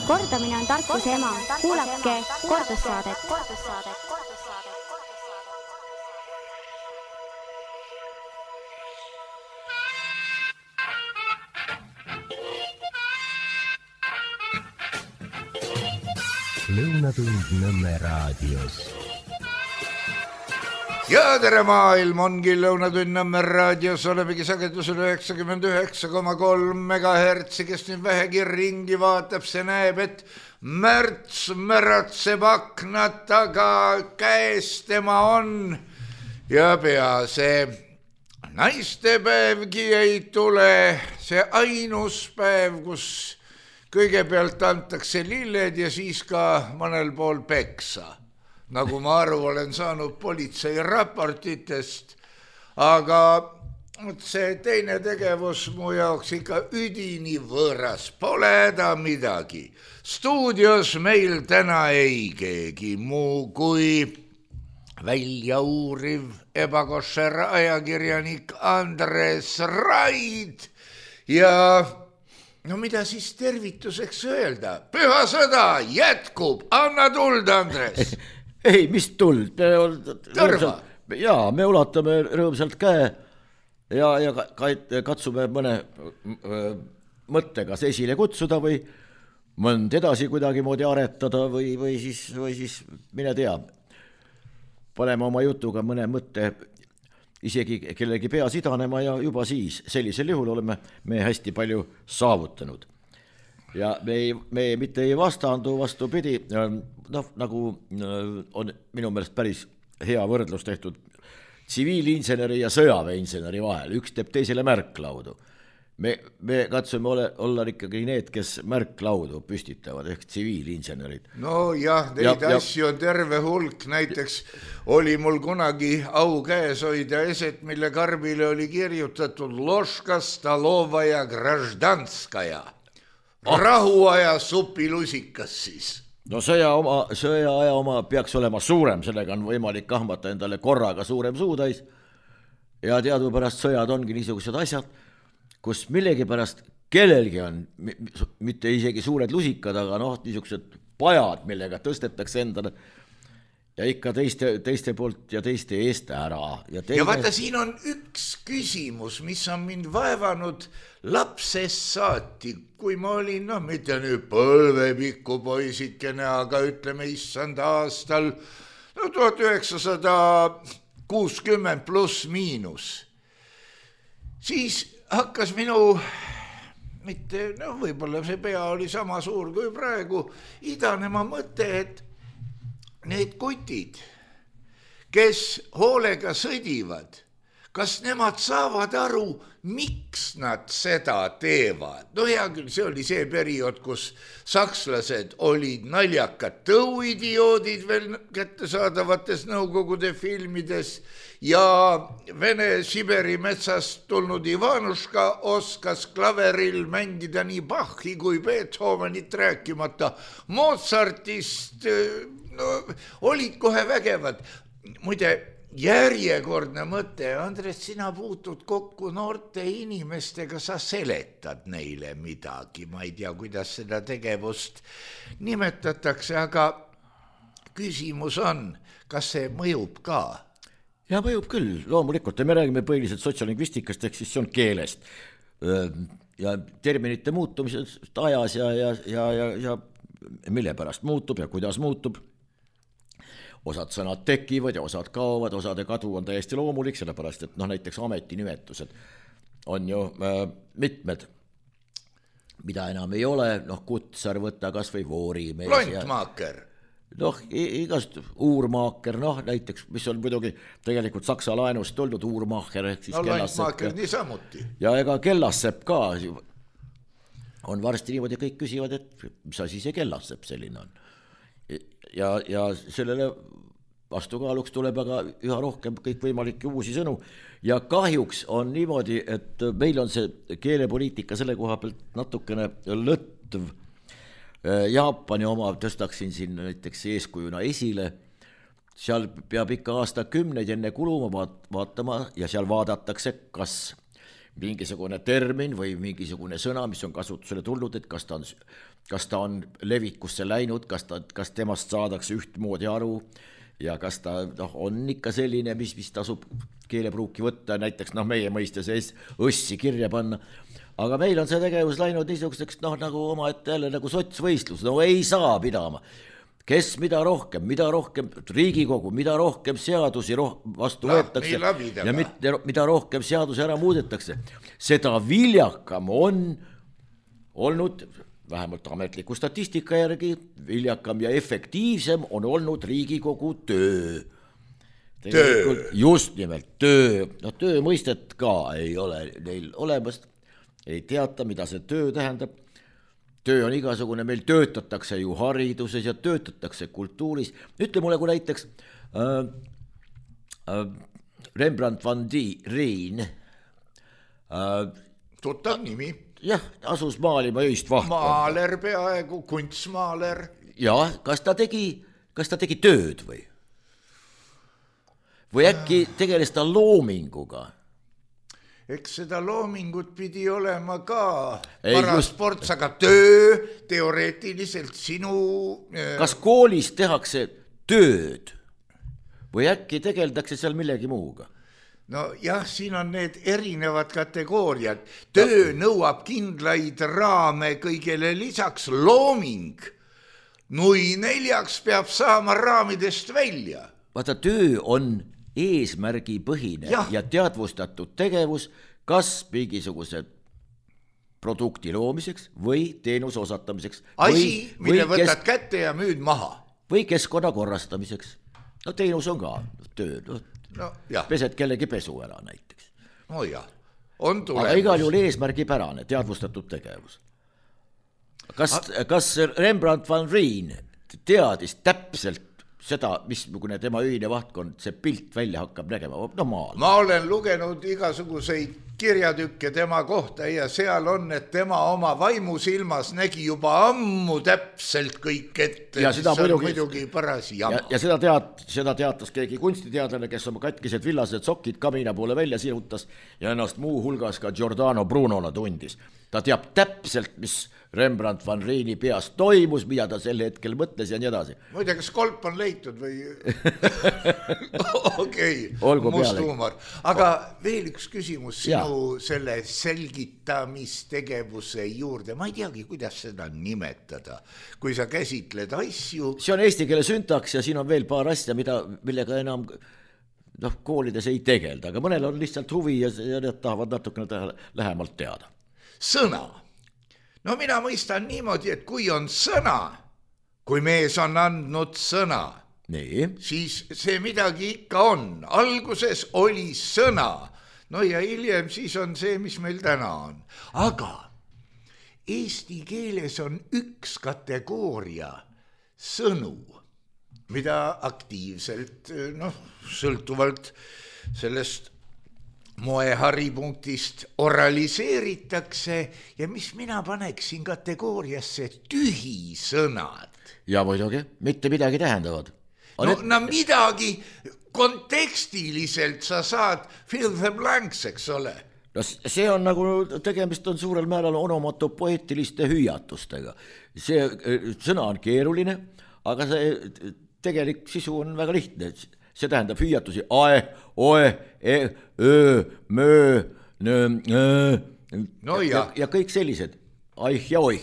Kordamine on tarkuse ema. Kuulake kordussaadet. Lõunatund Nõmme raadios. Ja tere maailm ongi Lõunatund Nõmme raadios, olemegi sagedusel 99,3 MHz, kes nüüd vähegi ringi vaatab, see näeb, et märts märatseb aknad taga, käes tema on ja pea see naistepäevgi ei tule, see ainus päev, kus kõigepealt antakse lilled ja siis ka mõnel pool peksa, nagu ma aru olen saanud politsei raportitest, aga see teine tegevus mu jaoks ikka üdini võõras, pole häda midagi. Stuudios meil täna ei keegi muu kui väljauuriv ebakošer ajakirjanik Andres Raid ja no mida siis tervituseks öelda? Püha sõda jätkub, anna tuld, Andres! Ei, mis tuld? Tõrva! Jaa, me ulatame rõõmsalt käe ja katsume mõne mõttega esile kutsuda või mõnd edasi kuidagi moodi aretada või siis mine tea. Paneme oma jutuga mõne mõtte isegi kellegi peas idanema ja juba siis sellisel juhul oleme me hästi palju saavutanud. Ja me mitte ei vastandu, vastupidi, nagu on minu meelest päris hea võrdlus tehtud tsiviilinseneri ja sõjaväeinseneri vahel. Üks teeb teisele märklaudu. Me katsume olla ikkagi need, kes märklaudu püstitavad, ehk tsiviilinsenerid. No jah, neid asju on terve hulk. Näiteks oli mul kunagi au käes hoida eset, mille karbile oli kirjutatud Loška, Stalovaja, Graždanskaja. Rahuaja supilusikas siis. No sõjaaja oma peaks olema suurem, sellega on võimalik kahmata endale korraga suurem suutäis. Ja teadupärast sõjad ongi niisugused asjad, kus millegipärast kellelgi on, mitte isegi suured lusikad, aga niisugused pajad, millega tõstetakse endale ja ikka teiste poolt ja teiste eest ära. Ja vaata, siin on üks küsimus, mis on mind vaevanud lapsest saati, kui ma olin, mitte nüüd põlvepikku poisikene, aga ütleme issand aastal 1960 pluss miinus. Siis hakkas minu, mitte, võib-olla see pea oli sama suur kui praegu, idanema mõte, et need kutid, kes hoolega sõdivad, kas nemad saavad aru, miks nad seda teevad? No hea küll, see oli see periood, kus sakslased olid naljakad tõuidioodid veel kättesaadavates Nõukogude filmides ja Vene Siberi metsast tulnud Ivanuška oskas klaveril mängida nii Bachi kui Beethovenit rääkimata Mozartist, olid kohe vägevad. Muide, järjekordne mõte, Andres, sina puutud kokku noorte inimestega, sa seletad neile midagi, ma ei tea, kuidas seda tegevust nimetatakse, aga küsimus on, kas see mõjub ka? Ja mõjub küll, loomulikult, me räägime põhiliselt sotsiolingvistikast, ehk siis see on keelest ja terminite muutumisest ajas ja mille pärast muutub ja kuidas muutub. Osad sõnad tekivad ja osad kaovad, osade kadu on täiesti loomulik, sellepärast, et näiteks ametinimetused on ju mitmed, mida enam ei ole, kutsar võtta kas või voorimees. Lontmaaker. Igast uurmaaker, näiteks, mis on muidugi tegelikult saksa laenust tulnud uurmaaker, ehk siis Lontmaaker niisamuti. Ja ega kellassepp ka on varsti niimoodi, kõik küsivad, et mis asi see kellassepp selline on. Ja sellele vastukaaluks tuleb aga üha rohkem kõik võimalikke uusi sõnu ja kahjuks on niimoodi, et meil on see keelepoliitika selle koha pealt natukene lõtv. Jaapani oma tõstaksin siin näiteks eeskujuna esile, seal peab ikka aastakümneid enne kuluma vaatama ja seal vaadatakse, kas mingisugune termin või mingisugune sõna, mis on kasutusele tulnud, et kas ta on levikusse läinud, kas temast saadakse ühtmoodi aru ja kas ta on ikka selline, mis tasub keelepruuki võtta, näiteks meie mõistes õssi kirja panna. Aga meil on see tegevus läinud niisuguseks nagu omaette jälle nagu sotsvõistlus, ei saa pidama. Kes mida rohkem Riigikogu, mida rohkem seadusi vastu võetakse ja mida rohkem seadusi ära muudetakse, seda viljakam on olnud, vähemalt ametliku statistika järgi, viljakam ja efektiivsem on olnud Riigikogu töö. Just nimelt töö. Töö mõistet ka ei ole neil olemas, ei teata, mida see töö tähendab. Töö on igasugune, meil töötatakse ju hariduses ja töötatakse kultuuris. Ütle mulle, kui näiteks Rembrandt van Rijn tuttav nimi. Jah, asus maalima öist vahtkonna. Maaler peaaegu, kunstmaaler. Ja, kas ta tegi tööd või? Või äkki tegeles ta loominguga? Eks seda loomingut pidi olema ka parasports, aga töö teoreetiliselt sinu... Kas koolis tehakse tööd või äkki tegeldakse seal millegi muuga? No jah, siin on need erinevad kategooriad. Töö nõuab kindlaid raame kõigele lisaks, looming. Nui neljaks peab saama raamidest välja. Vaata, töö on eesmärgipõhine ja teadvustatud tegevus kas mingisuguse produkti loomiseks või teenuse osatamiseks. Asi, mille võtad kätte ja müüd maha. Või keskkonna korrastamiseks. Teenus on ka töö. Pesed kellegi pesu ära näiteks. No jah, on tulemus. Aga igal juhul eesmärgipärane, teadvustatud tegevus. Kas Rembrandt van Rijn teadis täpselt seda, missugune tema öine vahtkond, see pilt välja hakkab nägema? Ma olen lugenud igasuguseid kirjatükke tema kohta ja seal on, et tema oma vaimusilmas nägi juba ammu täpselt kõik ette, mis on muidugi paras jama. Ja seda teatas keegi kunstiteadlane, kes oma katkised villased sokid kamina poole välja sirutas ja ennast muu hulgas ka Giordano Brunona tundis. Ta teab täpselt, mis Rembrandt van Rijni peas toimus, mida ta sel hetkel mõtles ja nii edasi. Muide, kas kolp on leitud või? Okei, must huumor. Aga veel üks küsimus sinu selle selgitamistegevuse juurde. Ma ei teagi, kuidas seda nimetada, kui sa käsitled asju. See on eesti keele süntaks ja siin on veel paar asja, millega enam koolides ei tegelda, aga mõnel on lihtsalt huvi ja need tahavad natukene lähemalt teada. Sõna. No mina mõistan niimoodi, et kui on sõna, kui mees on andnud sõna, siis see midagi ikka on. Alguses oli sõna, no ja hiljem siis on see, mis meil täna on. Aga eesti keeles on üks kategooria sõnu, mida aktiivselt, sõltuvalt sellest moeharipunktist oraliseeritakse ja mis mina paneksin kategooriasse tühisõnad. Ja muidugi, mitte midagi tähendavad. No midagi kontekstiliselt sa saad fill the blanks, eks ole. No see on nagu, tegemist on suurel määral onomatopoeetiliste hüüatustega. See sõna on keeruline, aga see tegelik sisu on väga lihtne. See tähendab hüüatusi ae, oe, öö, möö, ja kõik sellised, aih ja oih.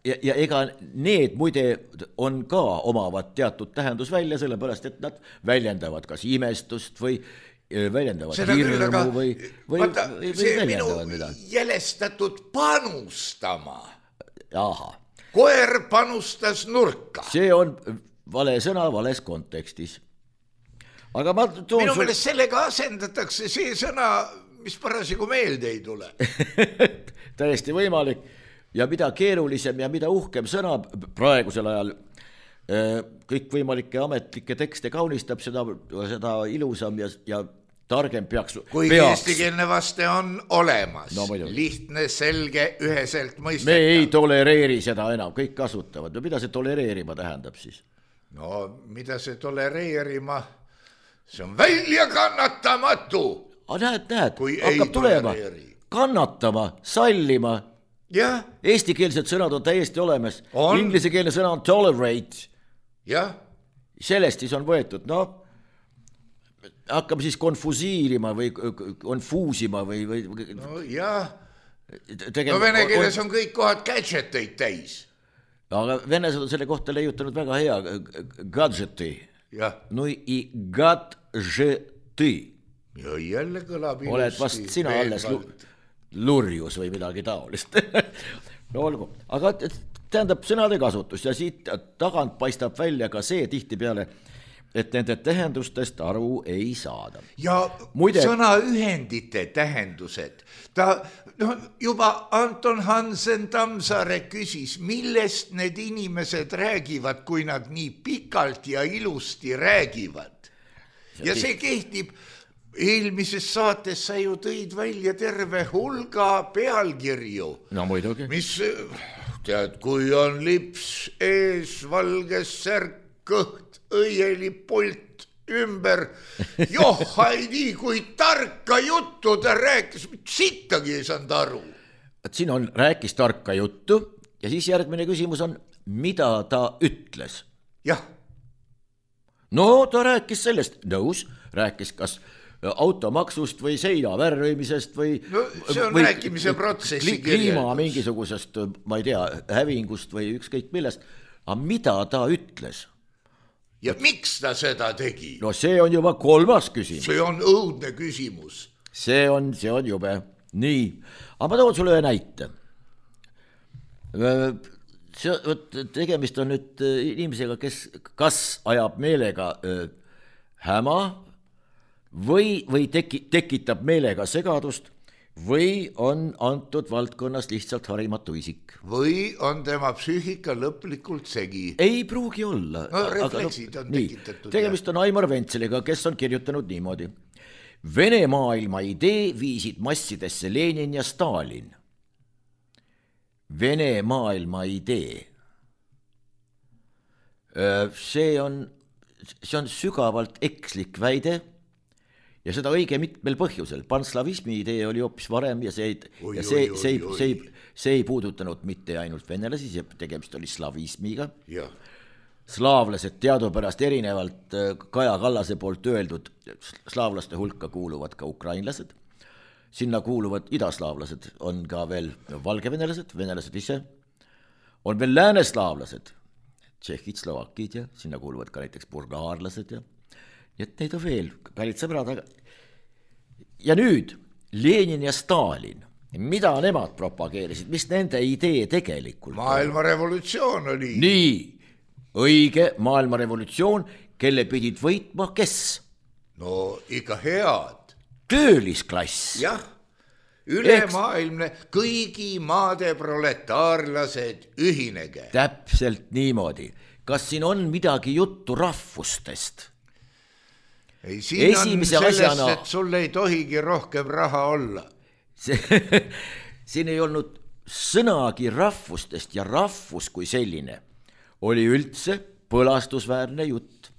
Ja ega need muide on ka omavad teatud tähendus välja, sellepärast, et nad väljendavad kas imestust või väljendavad hirmu või väljendavad midagi. Minu jälestatud panustama. Aha. Koer panustas nurka. See on vale sõna vales kontekstis. Aga minu meelest sellega asendatakse see sõna, mis parasjagu meelde ei tule. Täiesti võimalik. Ja mida keerulisem ja mida uhkem sõna praegusel ajal kõikvõimalikke ametlikke tekste kaunistab, seda ilusam ja targem peaks. Kui eestikeelne vaste on olemas, lihtne, selge, üheselt mõistetav. Me ei tolereeri seda enam, kõik kasutavad. Mida see tolereerima tähendab siis? No, mida see tolereerima? See on väljakannatamatu. näed, Kui ei hakkab tulema, tolereeri. kannatama, sallima. Jah, Eestikeelsed sõnad on täiesti olemas. On. Inglisekeelne sõna on tolerate. jah, Sellest siis on võetud, hakkame siis konfusiirima või konfuusima või no jah. tegema. No vene keeles on kõik kohad gadgeteid täis. Aga venelased on selle kohta leiutanud väga hea gadgeti. Jah, No i gadgeti. ja jälle kõlab ilusti. Oled vast sina alles lurjus või midagi taolist. No olgu, aga tähendab sõnade kasutus ja siit tagant paistab välja ka see tihtipeale, et nende tähendustest aru ei saada. Ja Muide- sõnaühendite tähendused. Juba Anton Hansen Tammsaare küsis, millest need inimesed räägivad, kui nad nii pikalt ja ilusti räägivad. Ja see kehtib. Eelmises saates sa ju tõid välja terve hulga pealkirju. No muidugi. Mis, tead, kui on lips ees, valges särk, kõht, õielipult ümber. Joh, ei kui tarka juttu ta rääkis, sittagi ei saanud aru. Siin on, rääkis tarka juttu ja siis järgmine küsimus on, mida ta ütles? Jah, No ta rääkis sellest, nõus, rääkis kas automaksust või seina värvimisest või no see on rääkimise protsessi kliima mingisugusest, ma ei tea, hävingust või ükskõik millest. Aga mida ta ütles? ja miks ta seda tegi? No see on juba kolmas küsimus. See on õudne küsimus. See on jube. Nii, aga ma toon sulle ühe näite. Tegemist on nüüd inimesega, kes kas ajab meelega häma või tekitab meelega segadust või on antud valdkonnas lihtsalt harimatu isik. Või on tema psüühika lõplikult segi. Ei pruugi olla. No refleksid on tekitatud. Tegemist on Aimar Ventseliga, kes on kirjutanud niimoodi. Vene maailma idee viisid massidesse Lenin ja Stalin. Vene maailma idee. See on sügavalt ekslik väide ja seda õige mitmel põhjusel. Panslavismi idee oli hoopis varem ja see ei puudutanud mitte ainult venelasi, see tegemist oli slavismiga. Ja. Slaavlased teadupärast erinevalt Kaja Kallase poolt öeldud slaavlaste hulka kuuluvad ka ukrainlased. Sinna kuuluvad idaslaavlased, on ka veel valgevenelased, venelased ise. On veel lääneslaavlased, tšehhid, slovakid ja sinna kuuluvad ka näiteks bulgaarlased ja nii et neid on veel, kallid sõbrad. Ja nüüd Lenin ja Stalin, mida nemad propageerisid, mis nende idee tegelikult? Maailmarevolutsioon oli. Nii, õige, maailmarevolutsioon, kelle pidid võitma kes? No ikka head. Töölisklass. Jah, ülemaailmne, kõigi maade proletaarlased ühinege. Täpselt niimoodi. Kas siin on midagi juttu rahvustest? Ei, siin esimese on sellest, asjana... et sul ei tohigi rohkem raha olla. Siin ei olnud sõnagi rahvustest ja rahvus kui selline oli üldse põlastusväärne jutt.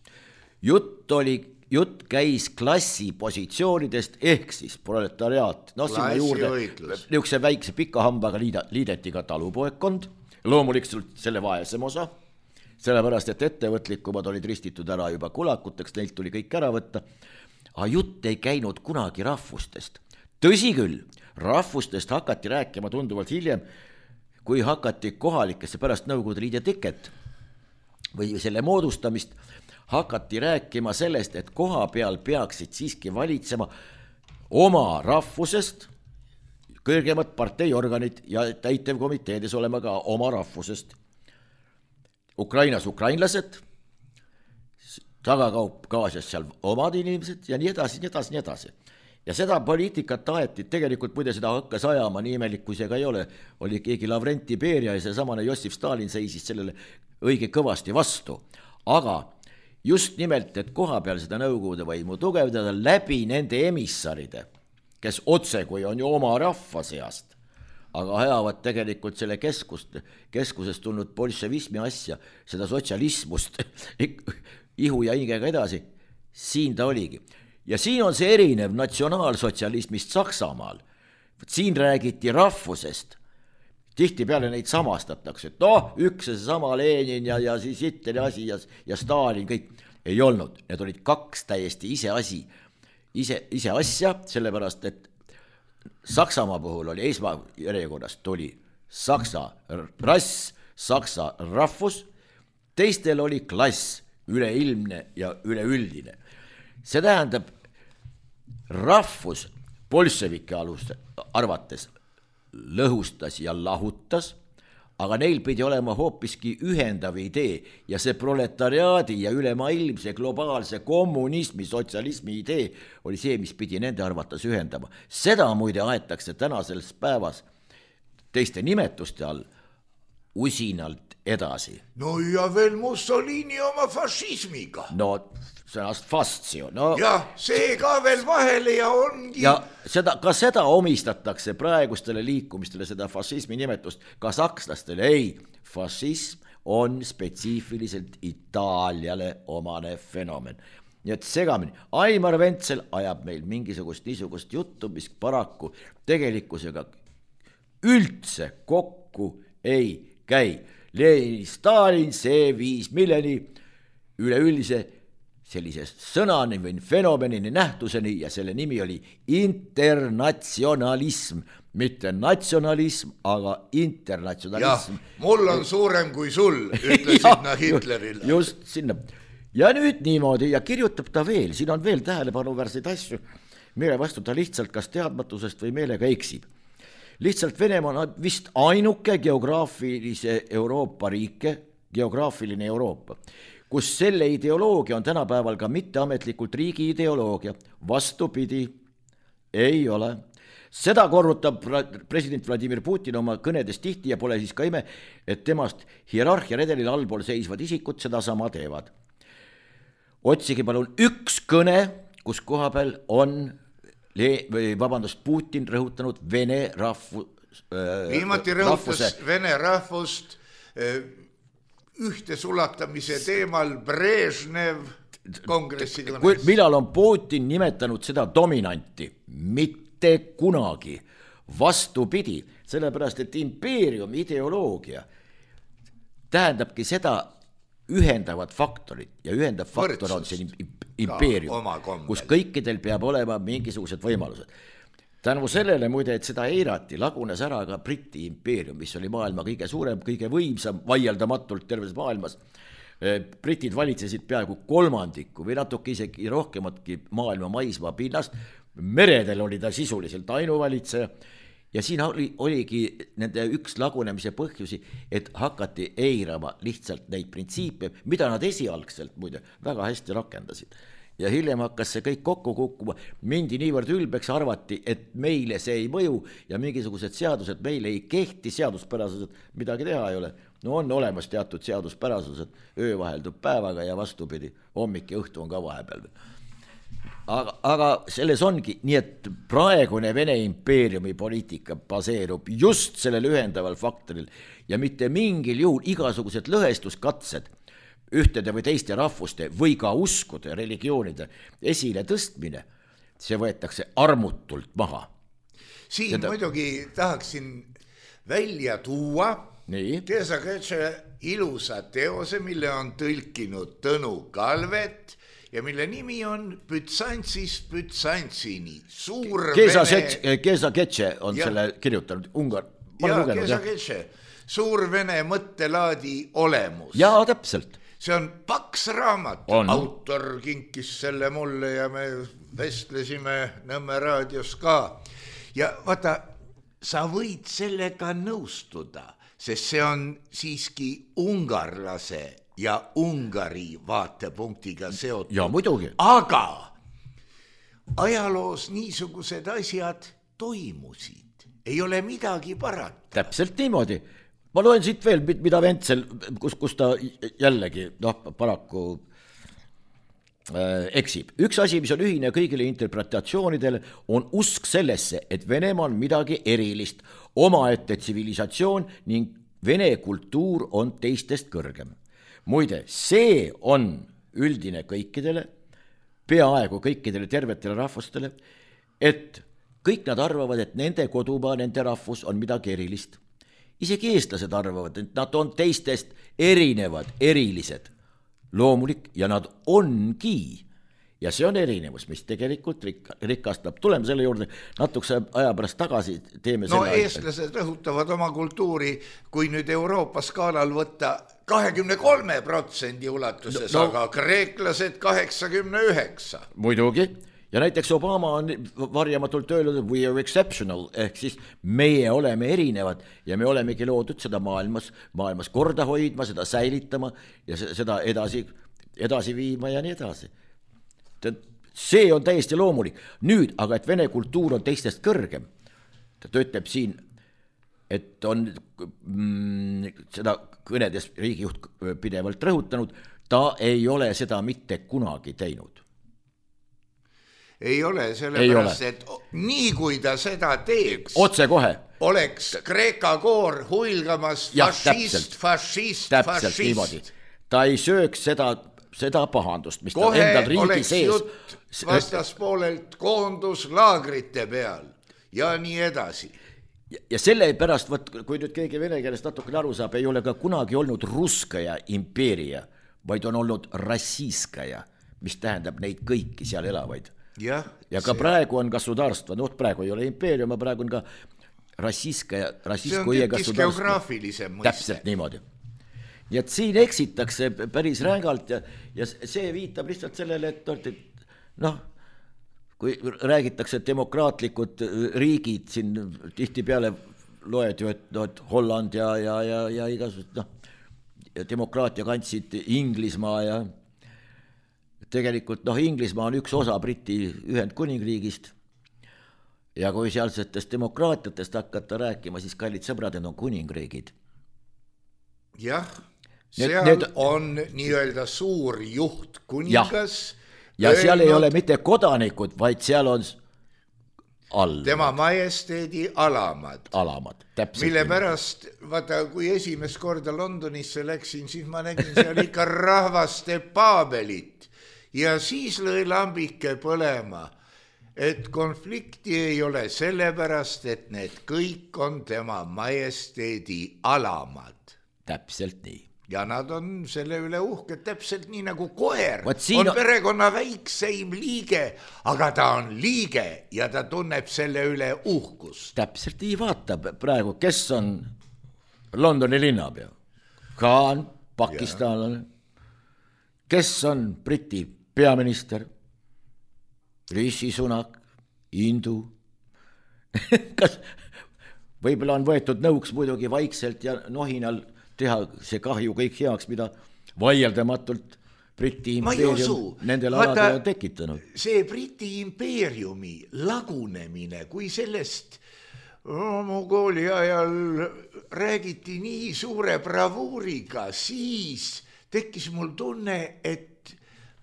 Jutt käis klassipositsioonidest ehk siis proletariaat. No sinna juurde niisuguse väikse pika hambaga liideti ka talupoekkond, loomulikult selle vaesem osa. Sellepärast, et ettevõtlikumad olid ristitud ära juba kulakuteks, neilt tuli kõik ära võtta. Aga jutt ei käinud kunagi rahvustest. Tõsi küll, rahvustest hakati rääkima tunduvalt hiljem, kui hakati kohalikesse pärast Nõukogude Liidu teket või selle moodustamist, hakati rääkima sellest, et koha peal peaksid siiski valitsema oma rahvusest, kõrgemad parteiorganid ja täitevkomiteedes olema ka oma rahvusest. Ukrainas ukrainlased, Taga-Kaukaasias seal omad inimesed ja nii edasi, nii edasi, nii edasi. Ja seda poliitikat taheti, tegelikult muide seda hakkas ajama, nii imelik kui see ka ei ole, oli keegi Lavrenti Beria ja see samane Jossif Stalin seisis sellele õige kõvasti vastu. Aga just nimelt, et koha peal seda Nõukogude võimu tugevdada läbi nende emissaride, kes otse kui on ju oma rahva seast, aga ajavad tegelikult selle keskusest tulnud bolševismi asja, seda sotsialismust, ihu ja hingega edasi, siin ta oligi. ja siin on see erinev natsionaalsotsialismist Saksamaal. Siin räägiti rahvusest. Tihtipeale neid samastatakse, et üks ja seesama Lenin ja siis Hitleri asi ja Stalin, kõik ei olnud. Need olid kaks täiesti ise asja, sellepärast, et Saksamaa puhul oli esmajärjekorras tuli saksa rass, saksa rahvus, teistel oli klass, üleilmne ja üleüldine. See tähendab, rahvus bolševike arvates lõhustas ja lahutas, aga neil pidi olema hoopiski ühendav idee ja see proletariaadi ja ülemaailmse globaalse kommunismi, sotsialismi idee oli see, mis pidi nende arvates ühendama. Seda muide aetakse tänasel päevas teiste nimetuste all usinalt edasi. No ja veel Mussolini oma fašismiga. No sõnast fastio. No, ja see ka veel vahele ja ongi. Ja seda omistatakse praegustele liikumistele, seda fašismi nimetust, ka sakslastele. Ei, fašism on spetsiifiliselt Itaaliale omane fenomen. Nii et segamini. Aimar Ventsel ajab meil mingisugust niisugust juttu, mis paraku tegelikkusega üldse kokku ei käi. Lenin, Stalin, see viis milleni üleüldise sellise sõnani või fenomenini nähtuseni ja selle nimi oli internatsionalism, mitte natsionalism, aga internatsionalism. Ja, mul on suurem kui sul, ütlesid nad Hitlerile. Just sinna. Ja nüüd niimoodi ja kirjutab ta veel, siin on veel tähelepanuväärseid asju, mille vastu ta lihtsalt kas teadmatusest või meelega eksib. Lihtsalt Venemaa on vist ainuke geograafilise Euroopa riike, geograafiline Euroopa, kus selle ideoloogia on tänapäeval ka mitteametlikult riigi ideoloogia. Vastupidi, ei ole. Seda korrutab president Vladimir Putin oma kõnedes tihti ja pole siis ka ime, et temast hierarhia redelil allpool seisvad isikud seda sama teevad. Otsigi palun üks kõne, kus koha peal on Putin rõhutanud vene viimati rõhutas vene rahvust ühte sulatamise teemal Brežnev kongressi kõnes. Millal on Putin nimetanud seda dominanti? Mitte kunagi. Vastupidi, sellepärast, et impeerium ideoloogia tähendabki seda ühendavat faktorit ja ühendav faktor on see impeerium, kus kõikidel peab olema mingisugused võimalused. Tänu sellele muide, et seda eirati, lagunes ära ka Briti impeerium, mis oli maailma kõige suurem, kõige võimsam, vaieldamatult terves maailmas. Britid valitsesid peaaegu kolmandiku või natuke isegi rohkematki maailma maismaa pinnast. Meredel oli ta sisuliselt ainuvalitseja ja siin oligi nende üks lagunemise põhjusi, et hakati eirama lihtsalt neid printsiipe, mida nad esialgselt muide väga hästi rakendasid. Ja hiljem hakkas see kõik kokku kukkuma, mindi niivõrd ülbeks, arvati, et meile see ei mõju ja mingisugused seadused meile ei kehti, seaduspärasused, midagi teha ei ole. No on olemas teatud seaduspärasused, öö vaheldub päevaga ja vastupidi, hommik ja õhtu on ka vahepeal. Aga selles ongi, nii et praegune Vene impeeriumi poliitika baseerub just sellel ühendaval faktoril ja mitte mingil juhul igasugused lõhestuskatsed ühtede või teiste rahvuste või ka uskude, religioonide esile tõstmine, see võetakse armutult maha. Siin muidugi tahaksin välja tuua Keesa-Ketše ilusa teose, mille on tõlkinud Tõnu Kalvet ja mille nimi on Bütsantsist Bütsantsini. Keesa-Ketše on selle kirjutanud Ungar. Keesa-Ketše, suur vene mõttelaadi olemus. Jaa, täpselt. See on paks raamat, autor kinkis selle mulle ja me vestlesime Nõmme raadios ka. Ja vaata, sa võid sellega nõustuda, sest see on siiski ungarlase ja Ungari vaatepunktiga seotud. Ja muidugi. Aga ajaloos niisugused asjad toimusid, ei ole midagi parata. Täpselt niimoodi. Ma loen siit veel, mida Ventsel, kus ta jällegi paraku eksib. Üks asi, mis on ühine kõigile interpretatsioonidele, on usk sellesse, et Venemaa on midagi erilist, omaette tsivilisatsioon ning vene kultuur on teistest kõrgem. Muide, see on üldine kõikidele, peaaegu kõikidele tervetele rahvustele, et kõik nad arvavad, et nende kodumaa, nende rahvus on midagi erilist. Isegi eestlased arvavad, et nad on teistest erinevad, erilised, loomulik ja nad ongi. Ja see on erinevus, mis tegelikult rikastab. Tuleme selle juurde natukese aja pärast tagasi. Teeme no eestlased rõhutavad oma kultuuri, kui nüüd Euroopa skaalal võtta 23% ulatuses, aga kreeklased 89%. Muidugi. Ja näiteks Obama on varjamatult öelnud, we are exceptional, ehk siis meie oleme erinevad ja me olemegi loodud seda maailmas korda hoidma, seda säilitama ja seda edasi viima ja nii edasi. See on täiesti loomulik. Nüüd, aga et vene kultuur on teistest kõrgem, ta ütleb siin, et on seda kõnedes riigijuht pidevalt rõhutanud, ta ei ole seda mitte kunagi teinud. Ei ole, sellepärast, et nii kui ta seda teeks, otse kohe oleks Kreeka koor huilgamas fašist. Ta ei sööks seda pahandust, mis kohe ta endal riigi sees. Kohe oleks jutt vastaspoolelt koonduslaagrite peal ja nii edasi. Ja selle pärast, kui nüüd keegi vene keelest natukene aru saab, ei ole ka kunagi olnud russkaja impeeria, vaid on olnud rassiiskaja, mis tähendab neid kõiki seal elavaid. Ja ka praegu on gasudarstva, praegu ei ole impeerium, praegu on ka rassiiskaja. See on tükis geograafilisem mõiste. Täpselt niimoodi. Nii et siin eksitakse päris rängalt ja see viitab lihtsalt sellele, et kui räägitakse demokraatlikud riigid, siin tihti peale loed ju, et Holland ja igasugused demokraatia kandsid Inglismaa ja tegelikult Inglismaa on üks osa Briti Ühendkuningriigist ja kui sealsetest demokraatiatest hakata rääkima, siis kallid sõbrad, need on kuningriigid. Jah, seal on nii-öelda suur juht kuningas. Ja seal ei ole mitte kodanikud, vaid seal on all. Tema majesteedi alamad. Täpselt. Mille pärast, vaata, kui esimest korda Londonisse läksin, siis ma nägin seal ikka rahvaste paabelit. Ja siis lõi lambike põlema, et konflikti ei ole sellepärast, et need kõik on tema majesteedi alamad. Täpselt nii. Ja nad on selle üle uhked, täpselt nii nagu koer on perekonna väikseim liige, aga ta on liige ja ta tunneb selle üle uhkust. Täpselt nii vaatab praegu, kes on Londoni linnapea? Khan, pakistanlane. Kes on Briti peaminister? Rishi Sunak, Indu. Kas võib-olla on võetud nõuks muidugi vaikselt ja nohinal teha see kahju kõik heaks, mida vaieldamatult Briti impeerium nendel aladel on tekitanud. See Briti impeeriumi lagunemine, kui sellest Mongooli ajal räägiti nii suure bravuuriga, siis tekkis mul tunne, et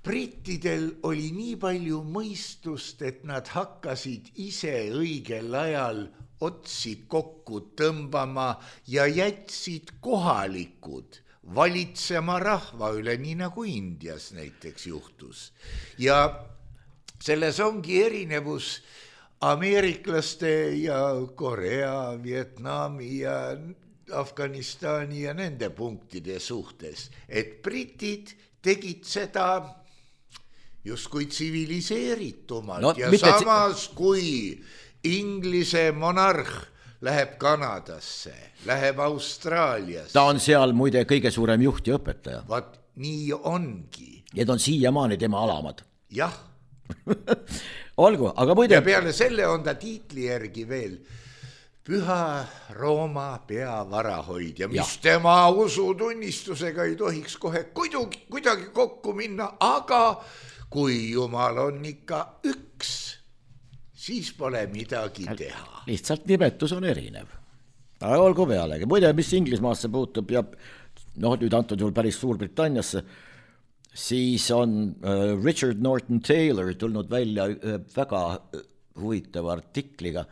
brittidel oli nii palju mõistust, et nad hakkasid ise õigel ajal otsi kokku tõmbama ja jätsid kohalikud valitsema rahva üle, nii nagu Indias näiteks juhtus. Ja selles ongi erinevus ameeriklaste ja Korea, Vietnami ja Afganistani ja nende punktide suhtes, et britid tegid seda justkui tsiviliseeritumalt ja samas kui Inglise monarh läheb Kanadasse, läheb Austraaliasse. Ta on seal muide kõige suurem juht ja õpetaja. Vaat nii ongi. Need on siiamaani tema alamad. Jah. Olgu, aga muide... Ja peale selle on ta tiitli järgi veel Püha Rooma peavarahoidja, mis tema usutunnistusega ei tohiks kohe kuidagi kokku minna, aga kui Jumal on ikka üks, siis pole midagi teha. Lihtsalt nimetus on erinev. Aga olgu pealegi. Muide, mis Inglismaasse puutub ja nüüd antud juhul päris Suurbritanniasse, siis on Richard Norton Taylor tulnud välja väga huvitava artikliga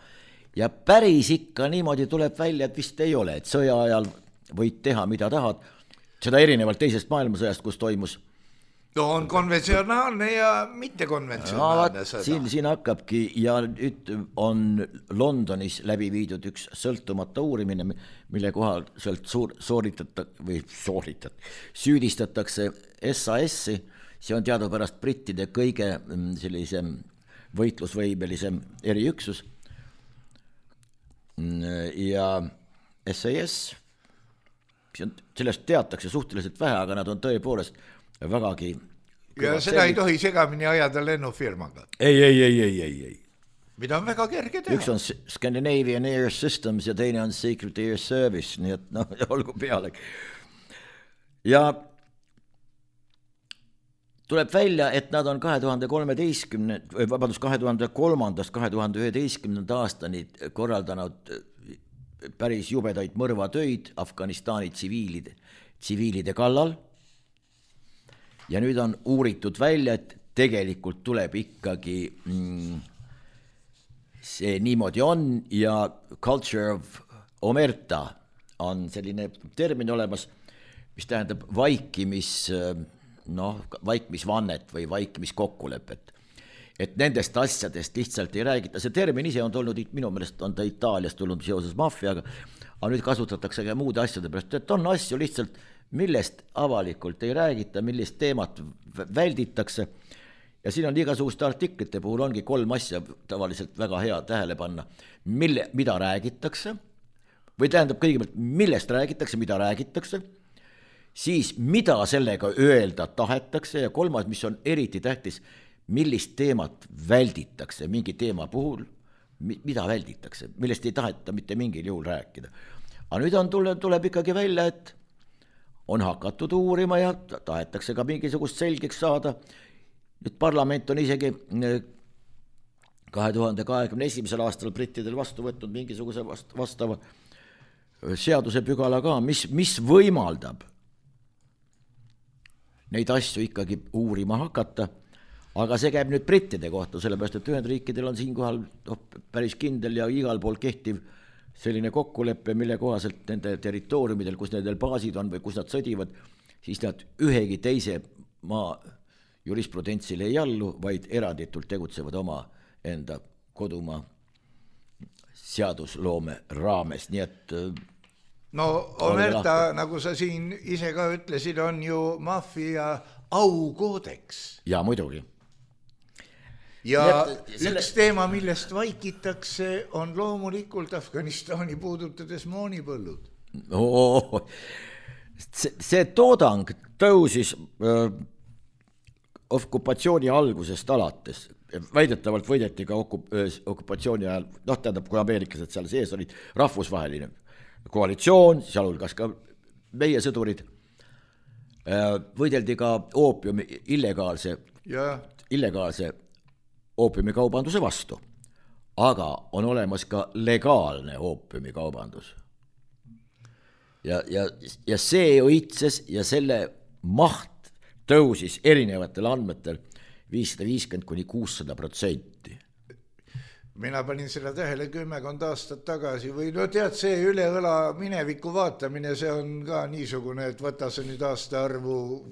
ja päris ikka niimoodi tuleb välja, et vist ei ole, et sõja ajal võid teha, mida tahad. Seda erinevalt teisest maailmasõjast, kus toimus No on konventsionaalne ja mittekonventsionaalne sõda. Siin hakkabki ja nüüd on Londonis läbi viidud üks sõltumata uurimine, mille kohal süüdistatakse SAS-i, see on teadupärast brittide kõige sellisem võitlusvõimelisem eriüksus ja SAS, sellest teatakse suhteliselt vähe, aga nad on tõepoolest vägagi ja seda ei tohi segamini ajada lennufirmaga. Ei. Mida on väga kerge teha. Üks on Scandinavian Air Systems ja teine on Secret Air Service, nii et olgu peale. Ja tuleb välja, et nad on 2003-2011 aastani korraldanud päris jubedaid mõrvatöid Afganistani tsiviilide kallal. Ja nüüd on uuritud välja, et tegelikult tuleb ikkagi see niimoodi on ja culture of omerta on selline termin olemas, mis tähendab vaikimisvannet või vaikimiskokkulepet. Et nendest asjadest lihtsalt ei räägita. See termin ise on tulnud, minu meelest on ta Itaaliast tulnud seoses maffiaga, aga nüüd kasutatakse ka muude asjade pärast, et on asju lihtsalt, millest avalikult ei räägita, millist teemat välditakse ja siin on igasuguste artiklite puhul ongi 3 asja tavaliselt väga hea tähele panna, mida räägitakse või tähendab kõigepealt, millest räägitakse, mida räägitakse, siis mida sellega öelda tahetakse ja 3, mis on eriti tähtis, millist teemat välditakse mingi teema puhul, mida välditakse, millest ei taheta mitte mingil juhul rääkida. Aga nüüd tuleb ikkagi välja, et on hakatud uurima ja tahetakse ka mingisugust selgeks saada. Nüüd parlament on isegi 2021. aastal brittidel vastu võtnud mingisuguse vastava seadusepügala ka, mis võimaldab neid asju ikkagi uurima hakata, aga see käib nüüd brittide kohta, sellepärast et Ühendriikidel on siinkohal päris kindel ja igal pool kehtiv selline kokkuleppe, mille kohaselt nende territooriumidel, kus nendel baasid on või kus nad sõdivad, siis nad ühegi teise maa jurisprudentsile ei allu, vaid eranditult tegutsevad oma enda kodumaa seadusloome raames, nii et no omerta, nagu sa siin ise ka ütlesid, on ju maffia aukoodeks. Ja muidugi. Ja üks teema, millest vaikitakse, on loomulikult Afganistani puudutades moonipõllud. See toodang tõusis okupatsiooni algusest alates. Väidetavalt võideti ka okupatsiooni ajal, tähendab, kui ameeriklased seal sees olid, rahvusvaheline koalitsioon, sealhulgas ka meie sõdurid, võideldi ka oopiumi illegaalse oopiumikaubanduse vastu, aga on olemas ka legaalne oopiumikaubandus. Ja see õitses ja selle maht tõusis erinevatel andmetel 550–600%. Mina panin seda tähele 10 aastat tagasi või tead, see üle õla mineviku vaatamine, see on ka niisugune, et võta see nüüd aastaarvu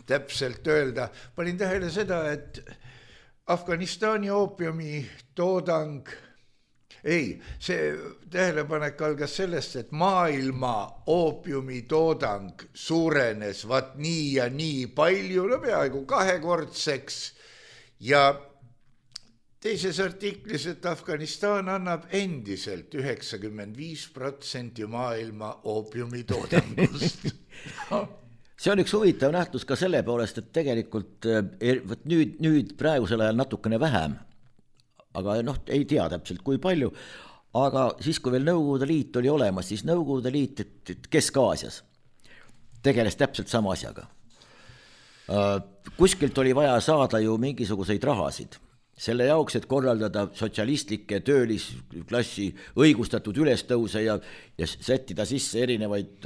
täpselt öelda. Panin tähele seda, et Afganistani oopiumi toodang, see tähelepanek algas sellest, et maailma oopiumi toodang suurenes nii ja nii palju, peaaegu 2-kordseks ja teises artiklis, et Afganistan annab endiselt 95% maailma oopiumi toodangust. See on üks huvitav nähtus ka selle poolest, et tegelikult nüüd praegusel ajal natukene vähem, aga ei tea täpselt kui palju, aga siis kui veel Nõukogude Liit oli olemas, siis Nõukogude Liit Kesk-Aasias tegeles täpselt sama asjaga. Kuskilt oli vaja saada ju mingisuguseid rahasid. Selle jaoks, et korraldada sotsialistlikke töölisklassi õigustatud ülestõuse ja sättida sisse erinevaid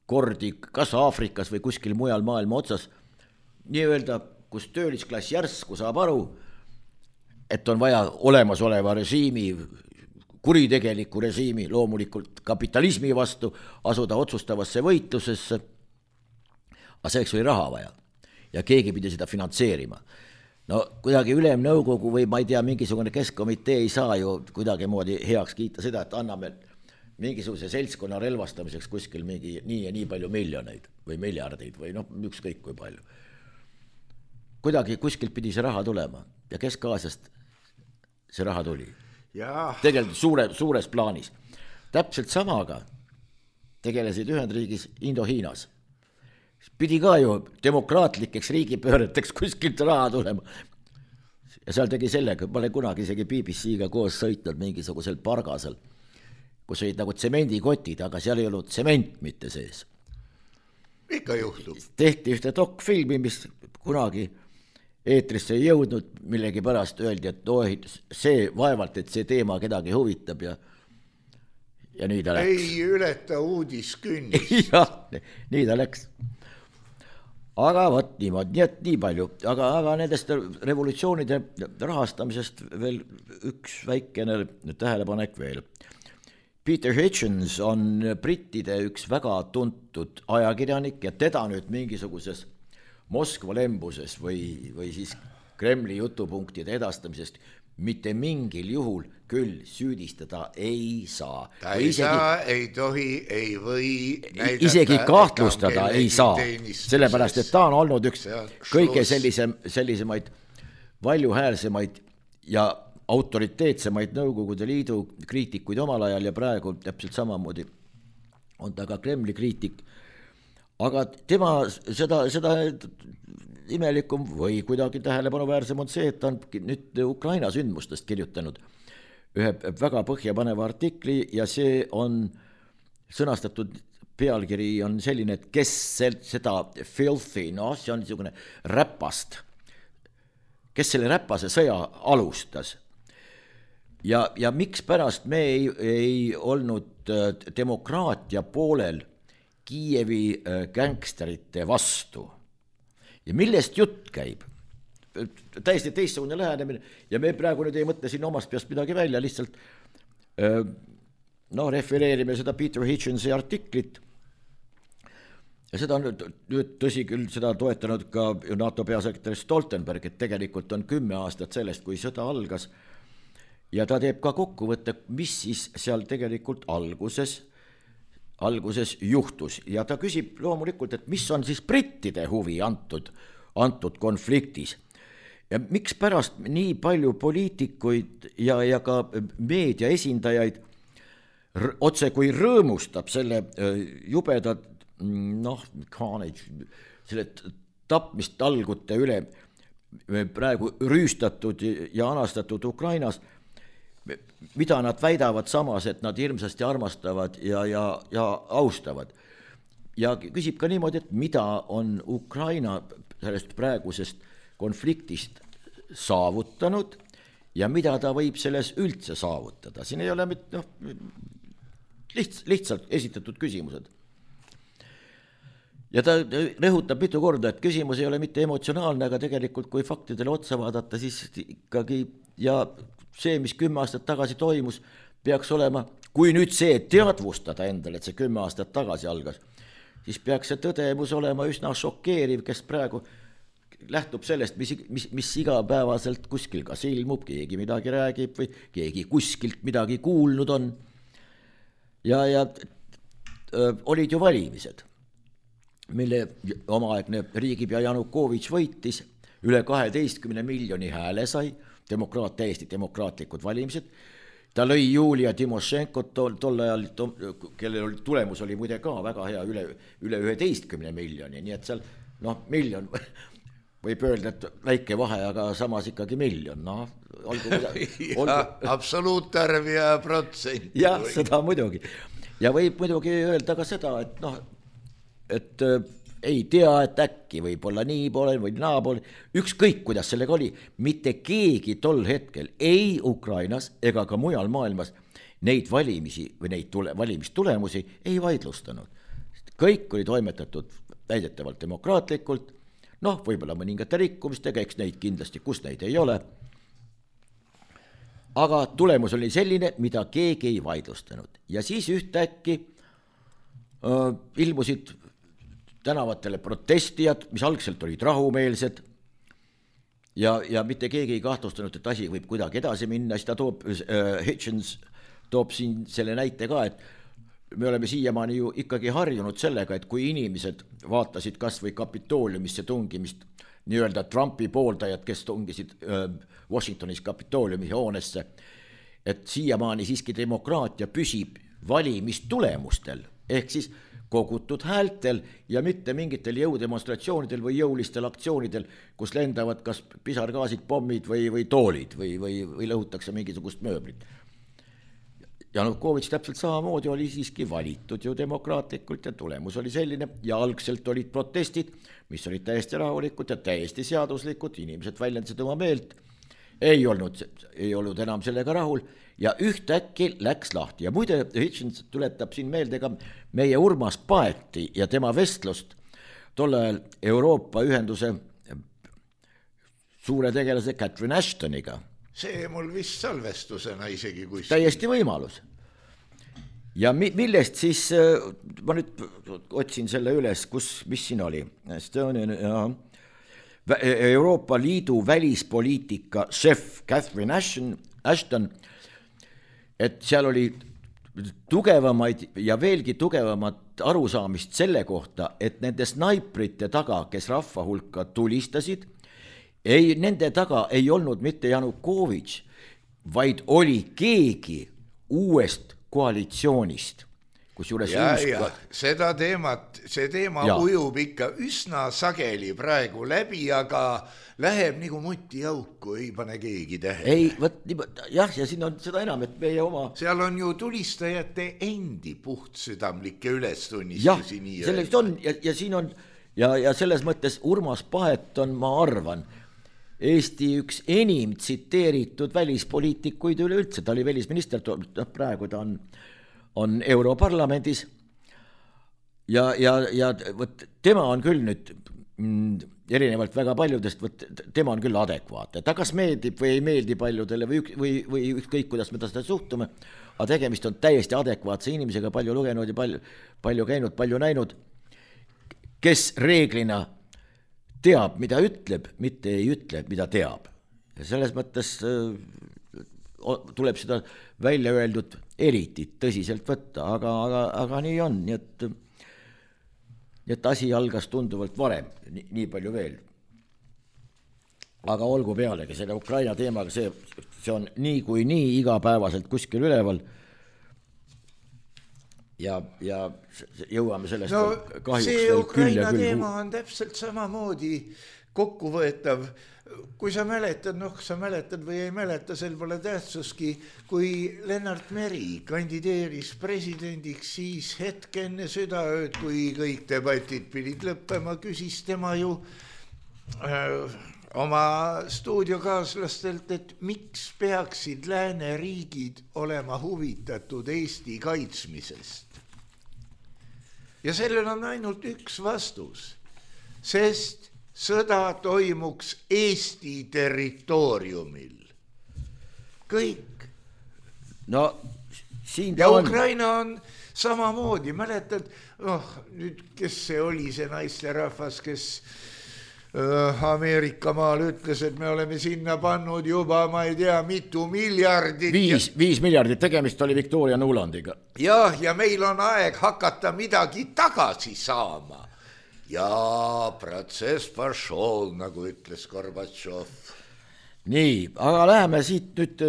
kordi, kas Aafrikas või kuskil mujal maailma otsas, nii öelda, kus töölisklass järsku saab aru, et on vaja olemasoleva režiimi, kuritegeliku režiimi, loomulikult kapitalismi vastu asuda otsustavasse võitlusesse, aga selleks oli raha vaja. ja keegi pidi seda finantseerima. No kuidagi ülemnõukogu või ma ei tea, mingisugune keskkomitee ei saa ju kuidagi moodi heaks kiita seda, et anname mingisuguse seltskonna relvastamiseks kuskil mingi nii ja nii palju miljoneid või miljardeid või noh, ükskõik kui palju. Kuidagi kuskilt pidi see raha tulema ja Kesk-Aasiast see raha tuli. Tegelikult suures plaanis. Täpselt samaga tegelesid Ühendriigis Indo-Hiinas. Pidi ka ju demokraatlikeks riigipööreteks kuskilt raha tulema. Ja seal tegi sellega, ma olen kunagi isegi BBC-ga koos sõitnud mingisugusel pargasel, kus olid nagu tsemendikotid, aga seal ei olnud tsement mitte sees. Ikka juhtub. Tehti ühte dokfilmi, mis kunagi eetrisse ei jõudnud, millegi pärast öeldi, et see vaevalt, et see teema kedagi huvitab ja nii ta läks. Ei ületa uudiskünnist. Jah, nii ta läks. Aga võt niimoodi, nii et nii palju. Aga nendest revolutsioonide rahastamisest veel üks väikene tähelepanek veel. Peter Hitchens on brittide üks väga tuntud ajakirjanik ja teda nüüd mingisuguses Moskva lembuses või siis Kremli jutupunktide edastamisest mitte mingil juhul küll süüdistada ei saa. Ta ei saa, ei tohi, ei või näidata. Isegi kahtlustada ei saa, sellepärast, et ta on olnud üks kõige sellisemaid valjuhäälsemaid ja autoriteetsemaid Nõukogude Liidu kriitikuid omal ajal ja praegu täpselt samamoodi on ta ka Kremli kriitik. Aga tema seda imelikum või kuidagi tähelepanuväärsem on see, et ta on nüüd Ukraina sündmustest kirjutanud ühe väga põhjapaneva artikli ja see on sõnastatud pealkiri on selline, et kes seda filthy, see on niisugune räpast, kes selle räpase sõja alustas ja miks pärast me ei olnud demokraatia poolel Kiievi gängsterite vastu. Ja millest jutt käib? Täiesti teistsugune lähenemine ja me praegu nüüd ei mõtle siin omast peast midagi välja, lihtsalt refereerime seda Peter Hitchensi artiklit ja seda on nüüd tõsi küll, seda toetanud ka NATO peasekretär Stoltenberg, et tegelikult on 10 aastat sellest, kui sõda algas ja ta teeb ka kokkuvõtte, mis siis seal tegelikult alguses juhtus ja ta küsib loomulikult, et mis on siis brittide huvi antud konfliktis ja miks pärast nii palju poliitikuid ja ka meedia esindajaid otse kui rõõmustab selle jubeda selle tapmist talgute üle praegu rüüstatud ja anastatud Ukrainas, mida nad väidavad samas, et nad hirmsasti armastavad ja austavad. Ja küsib ka niimoodi, et mida on Ukraina sellest praegusest konfliktist saavutanud ja mida ta võib selles üldse saavutada. Siin ei ole lihtsalt esitatud küsimused. Ja ta rõhutab mitu korda, et küsimus ei ole mitte emotsionaalne, aga tegelikult kui faktidele otsa vaadata, siis ikkagi ja see, mis 10 aastat tagasi toimus, peaks olema, kui nüüd see teadvustada endale, et see 10 aastat tagasi algas, siis peaks see tõdemus olema üsna šokeeriv, kes praegu lähtub sellest, mis igapäevaselt kuskil kas ilmub, keegi midagi räägib või keegi kuskilt midagi kuulnud on. Ja olid ju valimised, mille omaaegne riigipea Janukovitš võitis, üle 12 miljoni hääle sai, täiesti demokraatlikud valimised. Ta lõi Julia Timošenkot tol ajal, kellel tulemus oli muide ka väga hea, üle 11 miljoni, nii et seal miljon võib öelda, et väike vahe, aga samas ikkagi miljon. Absoluutarv ja protsent. Jah, seda muidugi. Ja võib muidugi öelda ka seda, et ei tea, et äkki võib olla nii poole või naa poole, ükskõik kuidas sellega oli, mitte keegi tol hetkel ei Ukrainas ega ka mujal maailmas neid valimisi või neid valimistulemusi ei vaidlustanud. Kõik oli toimetatud väidetavalt demokraatlikult, võib-olla mõningate rikkumistega, eks neid kindlasti, kus neid ei ole, aga tulemus oli selline, mida keegi ei vaidlustanud. Ja siis ühtäkki ilmusid tänavatele protestijad, mis algselt olid rahumeelsed ja mitte keegi ei kahtlustanud, et asi võib kuidagi edasi minna, siis ta toob, Hitchens toob siin selle näite ka, et me oleme siiamaani ju ikkagi harjunud sellega, et kui inimesed vaatasid kas või Kapitooliumisse tungimist, nii-öelda Trumpi pooldajad, kes tungisid Washingtonis Kapitooliumi hoonesse, et siiamaani siiski demokraatia püsib valimistulemustel, ehk siis kogutud häältel ja mitte mingitel jõudemonstratsioonidel või jõulistel aktsioonidel, kus lendavad kas pisargaasid, pommid või toolid või lõhutakse mingisugust mööblit. Janukovitš täpselt samamoodi oli siiski valitud ju demokraatlikult ja tulemus oli selline ja algselt olid protestid, mis olid täiesti rahulikud ja täiesti seaduslikud, inimesed väljendasid oma meelt, ei olnud enam sellega rahul ja ühtäkki läks lahti. Ja muide, Hitchens tuletab siin meelde ka meie Urmas Paeti ja tema vestlust tolle ajal Euroopa ühenduse suure tegelase Catherine Ashtoniga. See mul vist salvestusena isegi kuskil. Täiesti võimalus. Ja millest siis, ma nüüd otsin selle üles, mis siin oli. Euroopa Liidu välispoliitika šef Catherine Ashton, et seal oli tugevamaid ja veelgi tugevamat arusaamist selle kohta, et nende snaiprite taga, kes rahva hulka tulistasid, nende taga ei olnud mitte Janukovitš, vaid oli keegi uuest koalitsioonist. See teema ujub ikka üsna sageli praegu läbi, aga läheb nagu mutiauku, ei pane keegi tähe. Ei, ja siin on seda enam, et meie oma... Seal on ju tulistajate endi puhtsüdamlikke ülestunnistusi. Jah, sellest on ja siin on ja selles mõttes Urmas Paet on, ma arvan, Eesti üks enim tsiteeritud välispoliitikuid üleüldse, ta oli välisminister, praegu ta on Europarlamendis ja võt, tema on küll nüüd erinevalt väga paljudest, tema on küll adekvaatne, ta kas meeldib või ei meeldi paljudele või ükskõik, kuidas me ta seda suhtume, aga tegemist on täiesti adekvaatse inimesega, palju lugenud ja palju käinud, palju näinud, kes reeglina teab, mida ütleb, mitte ei ütle, mida teab. Ja selles mõttes tuleb seda välja öeldud eriti tõsiselt võtta, aga nii on, nii et asi algas tunduvalt varem, nii palju veel. Aga olgu pealegi, selle Ukraina teemaga, see on nii kui nii igapäevaselt kuskil üleval ja jõuame sellest kahjuks see Ukraina teema on täpselt samamoodi kokkuvõetav. Kui sa mäletad või ei mäleta, sel pole tähtsuski, kui Lennart Meri kandideeris presidendiks, siis hetk enne südaööd, kui kõik debatid pidid lõppema, küsis tema ju oma stuudiokaaslastelt, et miks peaksid lääneriigid olema huvitatud Eesti kaitsmisest. Ja sellel on ainult üks vastus, sest sõda toimuks Eesti territooriumil. Kõik. No, siin ja Ukraina on samamoodi, mäletad, nüüd kes see oli see naisterahvas, kes Ameerika maal ütles, et me oleme sinna pannud juba, ma ei tea, mitu miljardit. 5 miljardit, tegemist oli Victoria Nulandiga. Ja meil on aeg hakata midagi tagasi saama. Ja protsess пошел, nagu ütles Gorbatšov. Nii, aga läheme siit nüüd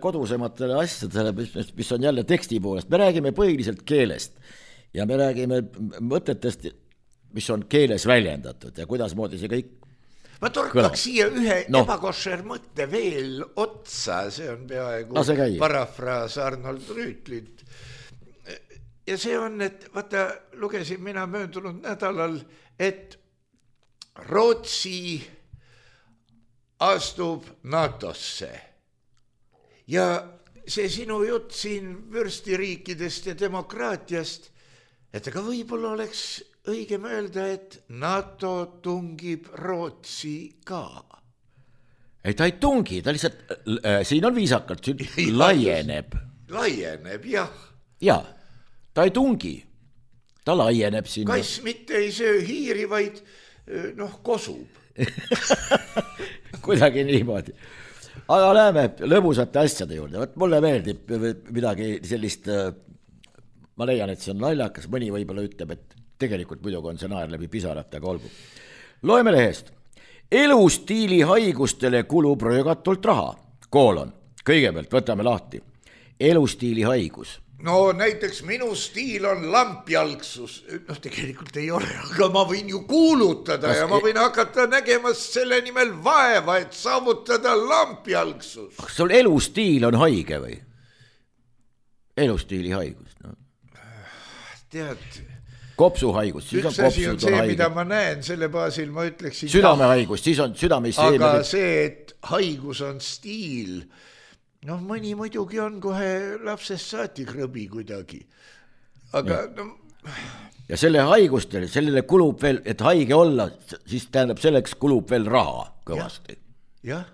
kodusematele asjadele, mis on jälle teksti poolest. Me räägime põhiliselt keelest ja me räägime mõtetest, mis on keeles väljendatud ja kuidas moodi see kõik ma torkaks siia ühe ebakošer mõtte veel otsa, see on peaaegu parafraas Arnold Rüütlit. Ja see on, et vaata, lugesin mina möödunud nädalal, et Rootsi astub NATO-sse. Ja see sinu jutt siin vürstiriikidest ja demokraatiast, et aga võib-olla oleks õigem öelda, et NATO tungib Rootsi ka. Ei, ta ei tungi, ta lihtsalt, siin on viisakalt, laieneb. Laieneb, jah. Jaa, ta ei tungi. ta laieneb sinna. Kass mitte ei söö hiiri, vaid kosub. Kuidagi niimoodi. Aga läheme lõbusate asjade juurde. Võt mulle meeldib midagi sellist, ma leian, et see on naljakas, mõni võib-olla ütleb, et tegelikult muidugi on see naer läbi pisarate, aga olgu. Loeme lehest. Elustiili haigustele kulub röögatult raha. Kõigepealt võtame lahti. Elustiili haigus. No näiteks minu stiil on lampjalgsus. Tegelikult ei ole, aga ma võin ju kuulutada ja ma võin hakata nägema selle nimel vaeva, et saavutada lampjalgsus. Kas sul elustiil on haige või? Elustiili haigus, no. Tead, kopsuhaigus, siis üks asi on see, mida ma näen, selle baasil ma ütleksin südamehaigus, siis on südameisseemine. Aga see, et haigus on stiil, mõni muidugi on kohe lapsest saati krõbi kuidagi. Aga ja selle haigustele, sellele kulub veel, et haige olla, siis tähendab selleks kulub veel raha kõvasti. Jah,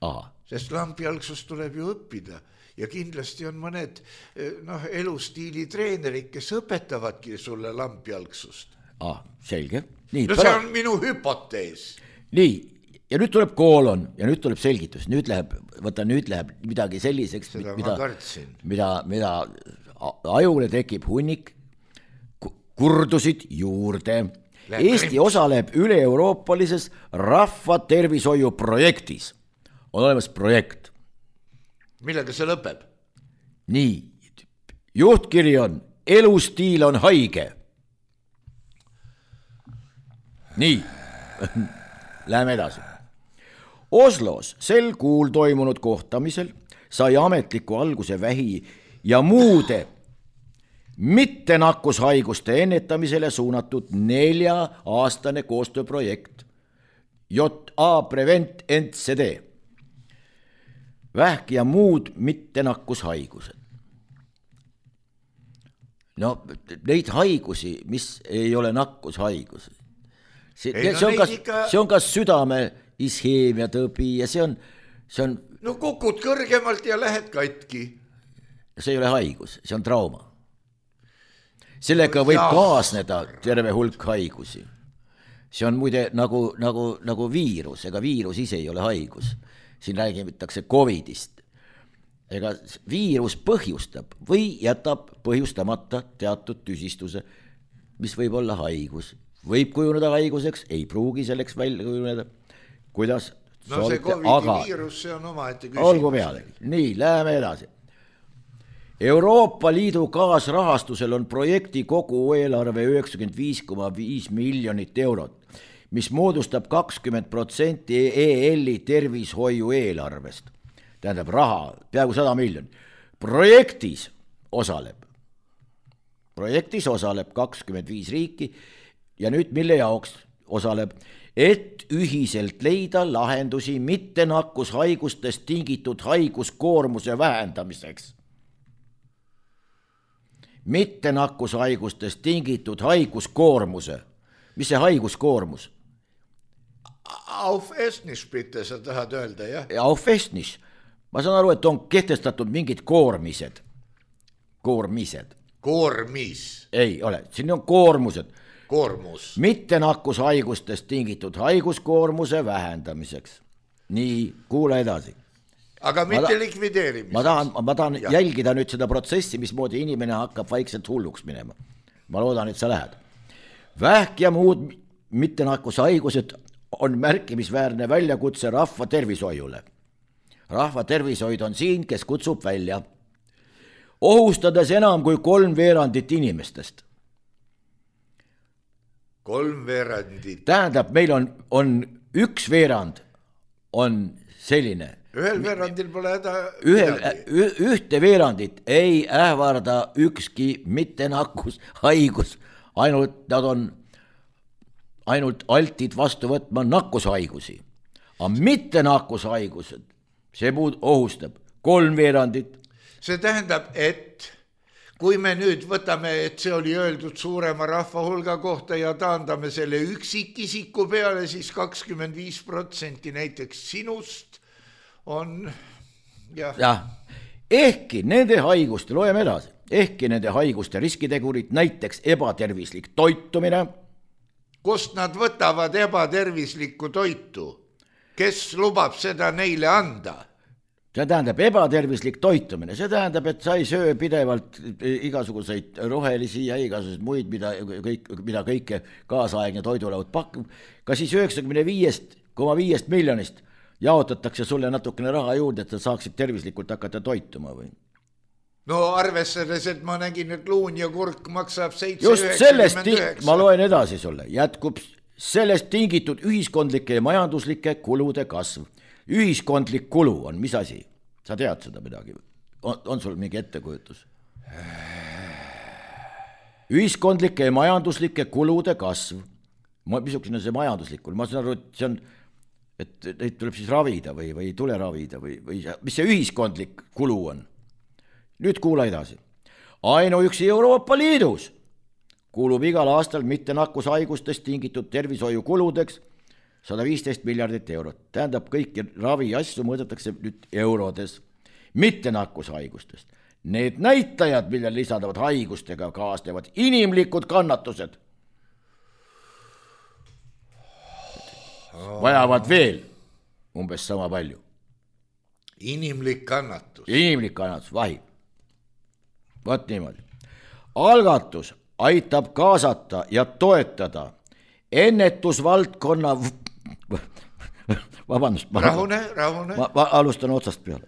Aha. Sest lampjalgsust tuleb ju õppida ja kindlasti on mõned elustiili treenerid, kes õpetavadki sulle lampjalgsust. Selge. Nii, see on minu hüpotees. Nii, ja nüüd tuleb koolon ja nüüd tuleb selgitus. Nüüd läheb midagi selliseks, mida ajule tekib hunnik, kurdusid juurde. Eesti osaleb üle-euroopalises rahvatervishoiu projektis. On olemas projekt. Millega see lõpeb? Nii, juhtkiri on elustiil on haige. Nii, läheme edasi. Oslos sel kuul toimunud kohtamisel sai ametliku alguse vähi ja muude mittenakkushaiguste ennetamisele suunatud 4-aastane koostööprojekt JA Prevent NCD. Vähk ja muud mittenakkushaigused. Neid haigusi, mis ei ole nakkushaigusi. See on ka südame isheemia tõbi ja see on... kukud kõrgemalt ja lähed katki. See ei ole haigus, see on trauma. Sellega võib kaasneda terve hulk haigusi. See on muide nagu viirus, ega viirus ise ei ole haigus. Siin räägitakse COVIDist. Ega viirus põhjustab või jätab põhjustamata teatud tüsistuse, mis võib olla haigus. Võib kujuneda haiguseks, ei pruugi selleks välja kujuneda. Kuidas? See COVIDi viirus, see on omaette küsimus. Olgu peale. Nii, läheme edasi. Euroopa Liidu kaasrahastusel on projekti kogu eelarve 95,5 miljonit eurot, mis moodustab 20% EL-i tervishoiu eelarvest. Tähendab raha, peaaegu 100 miljonit. Projektis osaleb 25 riiki ja nüüd mille jaoks osaleb, et ühiselt leida lahendusi mittenakkushaigustest tingitud haiguskoormuse vähendamiseks. Mittenakkushaigustest tingitud haiguskoormuse. Mis see haiguskoormus? Auf Estnisch bitte, sa tahad öelda, jah? Auf Estnisch. Ma saan aru, et on kehtestatud mingid koormised. Koormis? Ei ole, siin on koormused. Koormus. Mittenakkushaigustest tingitud haiguskoormuse vähendamiseks. Nii, kuule edasi. Aga mitte likvideerimiseks. Ma tahan jälgida nüüd seda protsessi, mismoodi inimene hakkab vaikselt hulluks minema. Ma loodan, et sa lähed. Vähk ja muud mittenakkushaigused on märkimisväärne väljakutse rahva tervishoiule. Rahva tervishoid on siin, kes kutsub välja. Ohustades enam kui 3/4 inimestest. 3/4. Tähendab, meil on 1/4 on selline. Ühel veerandil pole häda ühte veerandit ei ähvarda ükski mittenakkushaigus, nad on ainult altid vastu võtma nakkushaigusi. Aga mittenakkushaigused, see muud ohustab 3/4. See tähendab, et kui me nüüd võtame, et see oli öeldud suurema rahva hulga kohta ja taandame selle üksikisiku peale, siis 25% näiteks sinust on, jah. Ehkki nende haiguste, loeme edasi, ehkki nende haiguste riskitegurid, näiteks ebatervislik toitumine. Kust nad võtavad ebatervislikku toitu? Kes lubab seda neile anda? See tähendab ebatervislik toitumine, see tähendab, et sa ei söö pidevalt igasuguseid rohelisi ja igasuguseid muid, mida kõike kaasaegne toidulaud pakub. Ka siis 95,5 miljonist jaotatakse sulle natukene raha juurde, et sa saaksid tervislikult hakata toituma või? No arvestades, et ma nägin, et luun ja kurk maksab 7,99. Just sellest, ma loen edasi sulle, jätkub sellest tingitud ühiskondlike ja majanduslike kulude kasv. Ühiskondlik kulu on mis asi? Sa tead seda midagi? On sul mingi ettekujutus? Ühiskondlike ja majanduslike kulude kasv. Missugune see majanduslikul? Ma saan aru, et see on, et neid tuleb siis ravida või ei tule ravida või mis see ühiskondlik kulu on? Nüüd kuula edasi. Ainuüksi Euroopa Liidus kulub igal aastal mitte nakkushaigustest tingitud tervishoiukuludeks 115 miljardit eurot. Tähendab, kõiki ravi asju mõõdetakse nüüd eurodes, mitte nakkushaigustest. Need näitajad, millel lisandavad haigustega kaasnevad inimlikud kannatused, vajavad veel umbes sama palju. Inimlik kannatus. Inimlik kannatus, vahib. Võt niimoodi. Algatus aitab kaasata ja toetada ennetusvaldkonna vabandust. Rahune. Ma alustan otsast peale.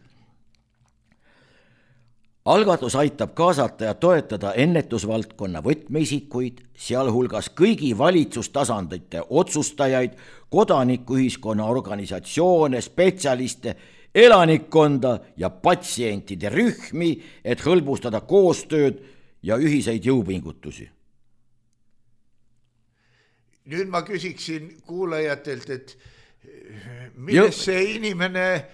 Algatus aitab kaasata ja toetada ennetusvaldkonna võtmeisikuid, sealhulgas kõigi valitsustasandite otsustajaid, kodanikuühiskonna organisatsioone, spetsialiste, elanikkonda ja patsientide rühmi, et hõlbustada koostööd ja ühiseid jõupingutusi. Nüüd ma küsiksin kuulajatelt, et mida see inimene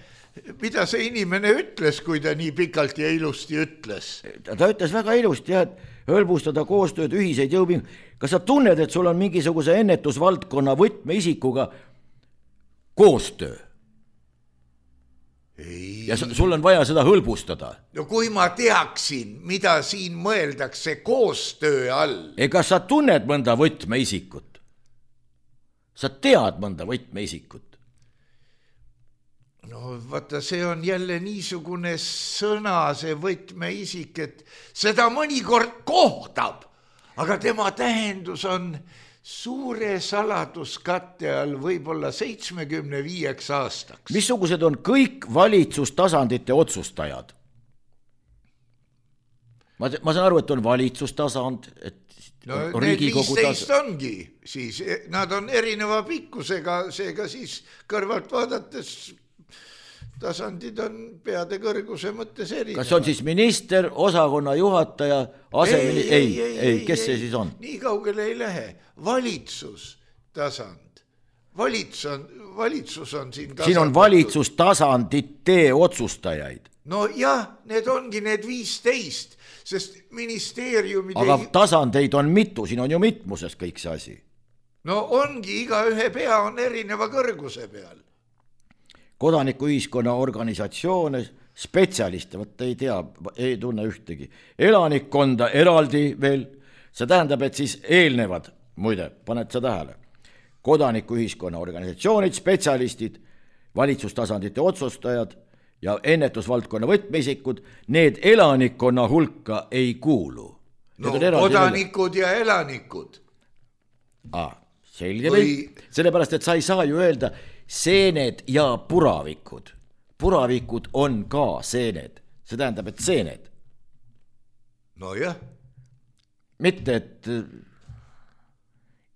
ütles, kui ta nii pikalt ja ilusti ütles? Ta ütles väga ilusti, et hõlbustada koostööd, ühiseid jõupingutusi. Kas sa tunned, et sul on mingisuguse ennetusvaldkonna võtmeisikuga koostöö? Ei. Ja sul on vaja seda hõlbustada. No kui ma teaksin, mida siin mõeldakse koostöö all. Ega sa tunned mõnda võtmeisikut? Sa tead mõnda võtmeisikut? No vaata, see on jälle niisugune sõna, see võtmeisik, et seda mõnikord kohdab, aga tema tähendus on suure saladuskatte all võib-olla 75 aastaks. Missugused on kõik valitsustasandite otsustajad? Ma saan aru, et on valitsustasand, et no need 15 ongi, siis nad on erineva pikkusega, seega siis kõrvalt vaadates tasandid on peade kõrguse mõttes erinevad. Kas on siis minister, osakonna juhataja, ei, kes see siis on? Nii kaugele ei lähe. Valitsustasand. Valitsus on siin tasand. Siin on valitsustasandite otsustajaid. No jah, need ongi need 15, sest ministeeriumid... Aga tasandeid on mitu, siin on ju mitmuses kõik see asi. No ongi, iga ühe pea on erineva kõrguse peal. Kodanikuühiskonna organisatsioone, spetsialiste, võtta ei tea, ei tunne ühtegi. Elanikkonda eraldi veel, see tähendab, et siis eelnevad, muide, paned sa tähele, kodanikuühiskonna organisatsioonid, spetsialistid, valitsustasandite otsustajad ja ennetusvaldkonna võtmeisikud, need elanikkonna hulka ei kuulu. No kodanikud ja elanikud. Selge või? Sellepärast, et sa ei saa ju öelda seened ja puravikud. Puravikud on ka seened. See tähendab, et seened. No jah. Mitte, et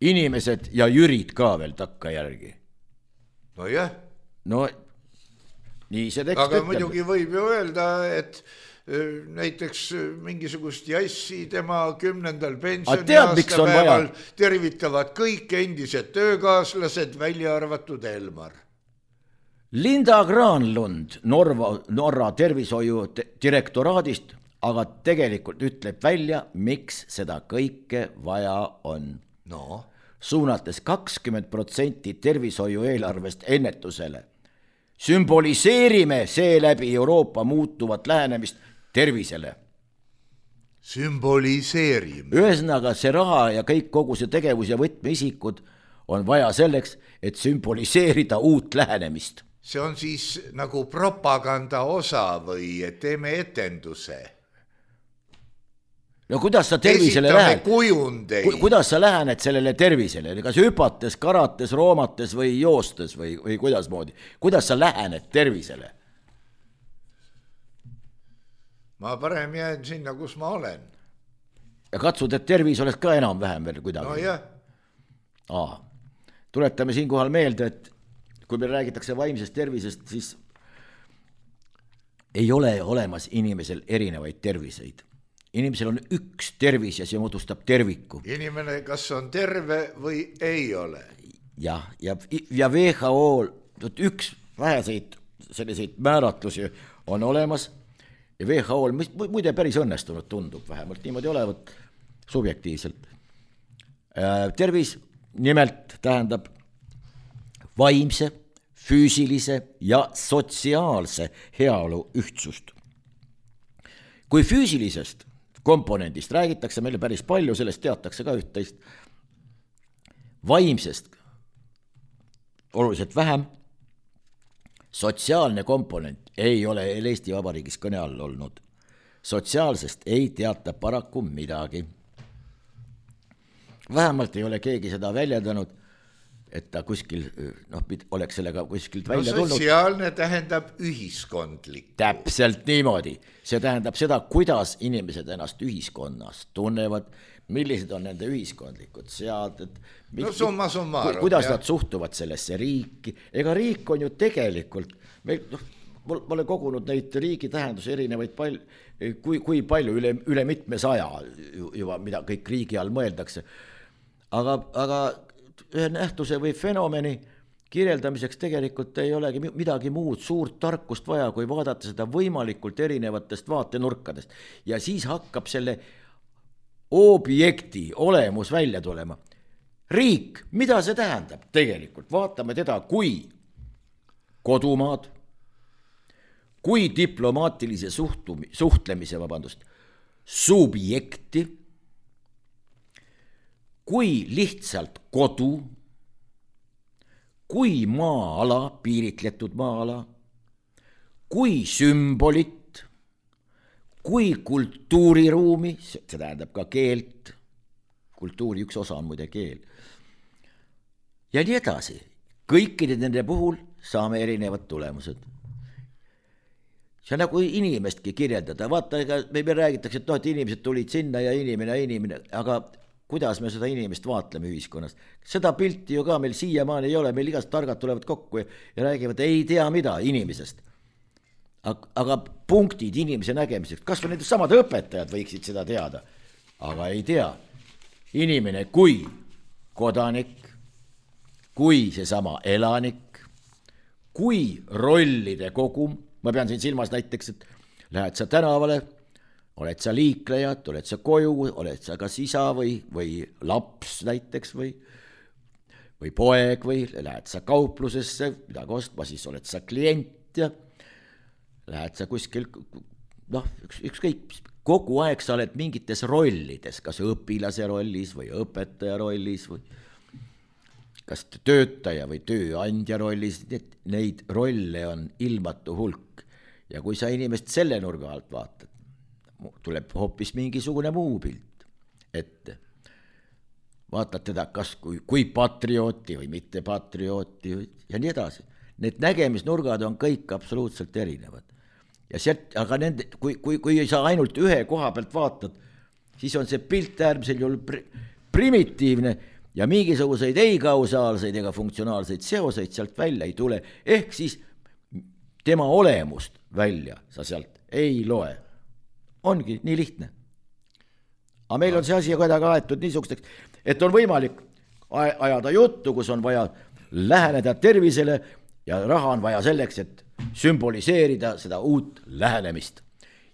inimesed ja jürid ka veel takka järgi. No jah. No nii see tekst ütleb. Aga muidugi võib ju öelda, et näiteks mingisugust jassi tema 10. pensioniaastapäeval tervitavad kõik endised töökaaslased, välja arvatud Elmar. Linda Granlund Norra tervishoiu direktoraadist aga tegelikult ütleb välja, miks seda kõike vaja on. No. Suunates 20% tervishoiu eelarvest ennetusele. Sümboliseerime seeläbi Euroopa muutuvat lähenemist tervisele. Sümboliseerimine. Ühesõnaga see raha ja kogu see tegevus ja võtmeisikud on vaja selleks, et sümboliseerida uut lähenemist. See on siis nagu propaganda osa või teeme etenduse. No kuidas sa tervisele lähed? Kujundeid. Kuidas sa lähened sellele tervisele? Kas hüpates, karates, roomates või joostes või kuidas moodi? Kuidas sa lähened tervisele? Ma parem jään sinna, kus ma olen. Ja katsud, et tervis oleks ka enam-vähem veel kuidagi. No jah. Tuletame siinkohal meelde, et kui meil räägitakse vaimsest tervisest, siis ei ole olemas inimesel erinevaid terviseid. Inimesel on üks tervis ja see moodustab terviku. Inimene kas on terve või ei ole. Ja WHO üks väheseid selliseid määratlusi on olemas ja WHO muide päris õnnestunud tundub, vähemalt niimoodi olevat subjektiivselt. Tervis nimelt tähendab vaimse, füüsilise ja sotsiaalse heaolu ühtsust. Kui füüsilisest komponendist räägitakse meile päris palju, sellest teatakse ka üht-teist. Vaimsest oluliselt vähem, sotsiaalne komponent ei ole Eesti Vabariigis kõne all olnud. Sotsiaalsest ei teata paraku midagi. Vähemalt ei ole keegi seda väljendanud, et ta kuskil oleks sellega kuskilt välja tulnud. Sotsiaalne tähendab ühiskondlik. Täpselt niimoodi. See tähendab seda, kuidas inimesed ennast ühiskonnas tunnevad, millised on nende ühiskondlikud seaded. Summa summarum. Kuidas nad suhtuvad sellesse riiki. Ega riik on ju tegelikult, ma olen kogunud neid riigi tähendusi erinevaid kui palju üle mitme 100 juba, mida kõik riigi all mõeldakse. Aga ühe nähtuse või fenomeni kirjeldamiseks tegelikult ei olegi midagi muud suurt tarkust vaja, kui vaadata seda võimalikult erinevatest vaatenurkadest. Ja siis hakkab selle objekti olemus välja tulema. Riik, mida see tähendab tegelikult? Vaatame teda kui kodumaad, kui diplomaatilise suhtlemise, subjekti, kui lihtsalt kodu, kui maa-ala, piiritletud maa-ala, kui sümbolit, kui kultuuriruumi, see tähendab ka keelt, kultuuri üks osa on muide keel, ja nii edasi. Kõikide nende puhul saame erinevad tulemused. See on nagu inimestki kirjeldada. Vaata, me räägitakse, et inimesed tulid sinna ja inimene, aga kuidas me seda inimest vaatleme ühiskonnas. Seda pilti ju ka meil siiamaani ei ole, meil igast targad tulevad kokku ja räägivad, ei tea mida inimesest. Aga punktid inimese nägemiseks, kas või need samad õpetajad võiksid seda teada, aga ei tea. Inimene kui kodanik, kui seesama elanik, kui rollide kogum, ma pean siin silmas näiteks, et lähed sa tänavale, oled sa liiklejad, oled sa koju, oled sa kas isa või laps näiteks või poeg või lähed sa kauplusesse, midagi ostma, siis oled sa klient ja lähed sa kuskil, ükskõik, kogu aeg sa oled mingites rollides, kas õpilase rollis või õpetaja rollis või kas töötaja või tööandja rollis, neid rolle on ilmatu hulk ja kui sa inimest selle nurga alt vaatad, tuleb hoopis mingisugune muu pilt ette. Vaatad teda kas kui patriooti või mitte patriooti ja nii edasi. Need nägemisnurgad on kõik absoluutselt erinevad. Ja aga kui sa ainult ühe koha pealt vaatad, siis on see pilt äärmisel juhul primitiivne ja mingisuguseid ei kausaalseid ega funktsionaalseid seoseid sealt välja ei tule. Ehk siis tema olemust välja sa sealt ei loe. Ongi nii lihtne. Aga meil on see asi kuidagi aetud niisugusteks, et on võimalik ajada juttu, kus on vaja läheneda tervisele ja raha on vaja selleks, et sümboliseerida seda uut lähenemist.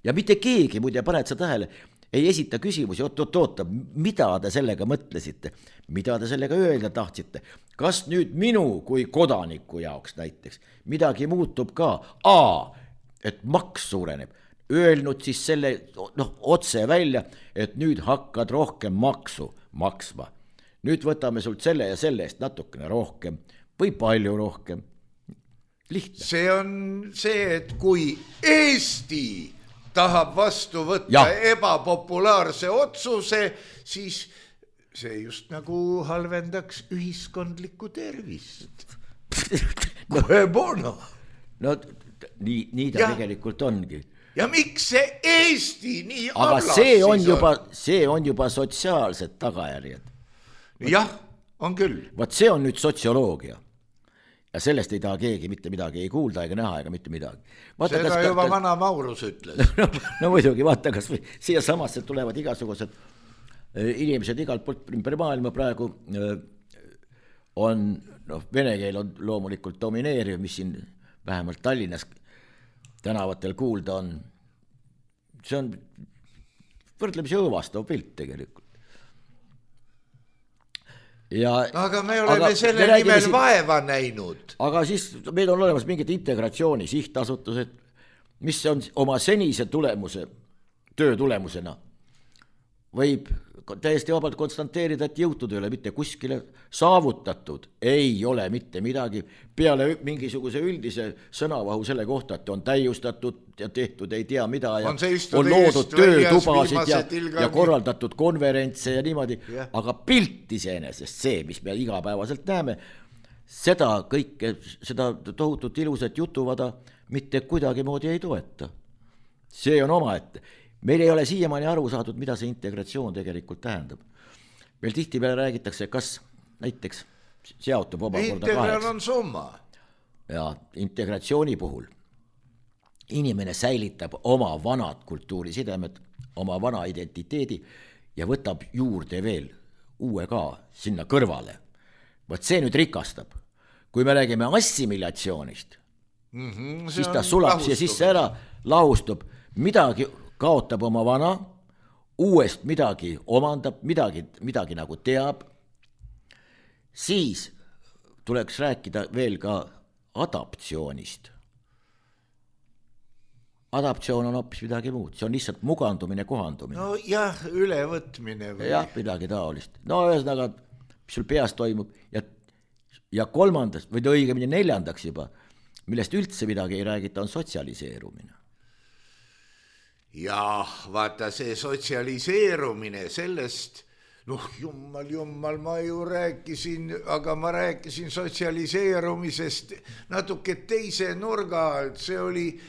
Ja mitte keegi, muide paned sa tähele, ei esita küsimusi, oot, mida te sellega mõtlesite, mida te sellega öelda tahtsite, kas nüüd minu kui kodaniku jaoks näiteks midagi muutub ka, et maks suureneb. öelnud siis selle otse välja, et nüüd hakkad rohkem maksu maksma. Nüüd võtame sult selle ja selle eest natukene rohkem või palju rohkem. Lihtne. See on see, et kui Eesti tahab vastu võtta ebapopulaarse otsuse, siis see just nagu halvendaks ühiskondlikku tervist. No nii ta tegelikult ongi. Ja miks see Eesti nii aga see on juba sotsiaalsed tagajärjed. Jah, on küll. Vaat see on nüüd sotsioloogia. Ja sellest ei taha keegi mitte midagi ei kuulda ega näha ega mitte midagi. Vaata, seda juba vana Maurus ütles. No muidugi, vaata, kas siia samasse tulevad igasugused inimesed igalt poolt ümber maailma praegu on, vene keel on loomulikult domineeriv, mis siin vähemalt Tallinnas tänavatel kuulda on. See on võrdlemisi õõvastav pilt tegelikult. Aga me oleme selle nimel vaeva näinud. Aga siis meil on olemas mingid integratsiooni sihtasutused, mis on oma senise töö tulemusena võib täiesti vabalt konstanteerida, et jõutud ei ole mitte kuskile, saavutatud ei ole mitte midagi, peale mingisuguse üldise sõnavahu selle kohta, et on täiustatud ja tehtud ei tea mida ja on loodud töötubasid ja korraldatud konverentse ja niimoodi, aga pilt iseenesest see, mis me igapäevaselt näeme, seda kõike, seda tohutut ilusat jutuvada mitte kuidagi moodi ei toeta. See on omaette. Meil ei ole siiamaani aru saadud, mida see integratsioon tegelikult tähendab. Meil tihtipeale räägitakse, kas näiteks seotub omakorda Integral on summa. Ja integratsiooni puhul inimene säilitab oma vanad kultuurisidemed, oma vana identiteedi ja võtab juurde veel uue ka sinna kõrvale. Võt see nüüd rikastab. Kui me räägime assimilatsioonist, siis ta sulab siia sisse ära, lahustub, midagi kaotab oma vana, uuest midagi omandab, midagi nagu teab, siis tuleks rääkida veel ka adaptsioonist. Adaptsioon on hoopis midagi muud, see on lihtsalt mugandumine, kohandumine. No jah, ülevõtmine. Jah, midagi taolist. No ühesõnaga, mis sul peas toimub ja kolmandas, või õigemini neljandaks juba, millest üldse midagi ei räägita, on sotsialiseerumine. Jah, vaata see sotsialiseerumine sellest, jummal, ma ju rääkisin, aga ma rääkisin sotsialiseerumisest natuke teise nurga alt, see oli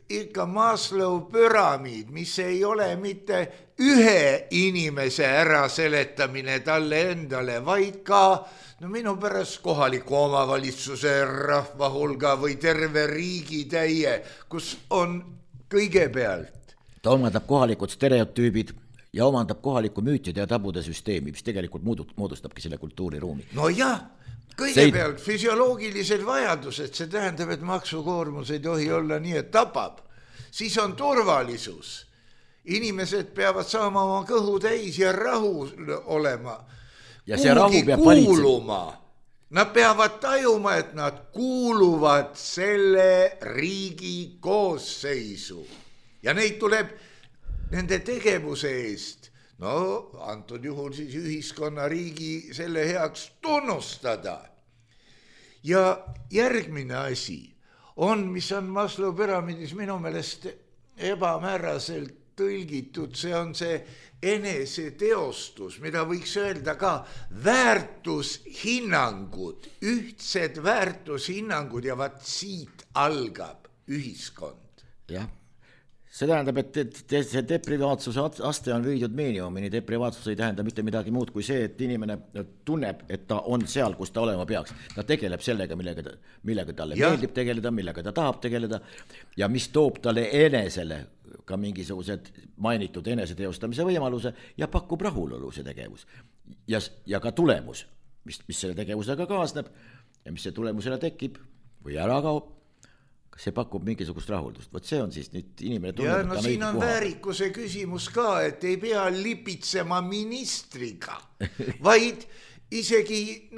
ikka Maslow püramiid, mis ei ole mitte ühe inimese äraseletamine talle endale, vaid ka minu pärast kohaliku omavalitsuse rahva hulga või terve riigi täie, kus on kõigepealt ta omandab kohalikud stereotüübid ja omandab kohaliku müütide ja tabude süsteemi, mis tegelikult moodustabki selle kultuuriruumi. No jah, kõigepealt füsioloogilised vajadused, see tähendab, et maksukoormus ei tohi olla nii, et tapab. Siis on turvalisus. Inimesed peavad saama oma kõhu täis ja rahu olema. Ja see rahu peab kuuluma. Nad peavad tajuma, et nad kuuluvad selle riigi koosseisu. Ja neid tuleb nende tegevuse eest, antud juhul siis ühiskonna riigi selle heaks tunnustada. Ja järgmine asi on, mis on Maslow püramiidis minu meelest ebamääraselt tõlgitud, see on see eneseteostus, mida võiks öelda ka väärtushinnangud, ühtsed väärtushinnangud ja vaat siit algab ühiskond. Jah. See tähendab, et see deprivaatsuse aste on viidud miinimumini. Deprivaatsus ei tähenda mitte midagi muud kui see, et inimene tunneb, et ta on seal, kus ta olema peaks. Ta tegeleb sellega, millega talle meeldib tegeleda, millega ta tahab tegeleda ja mis toob talle enesele ka mingisugused mainitud eneseteostamise võimaluse ja pakub rahulolu see tegevus. Ja ka tulemus, mis selle tegevusega kaasneb ja mis see tulemusele tekib või ära kaob. See pakub mingisugust rahuldust. Võt see on siis nüüd inimene tunneb, ja siin on väärikuse küsimus ka, et ei pea lipitsema ministriga, vaid isegi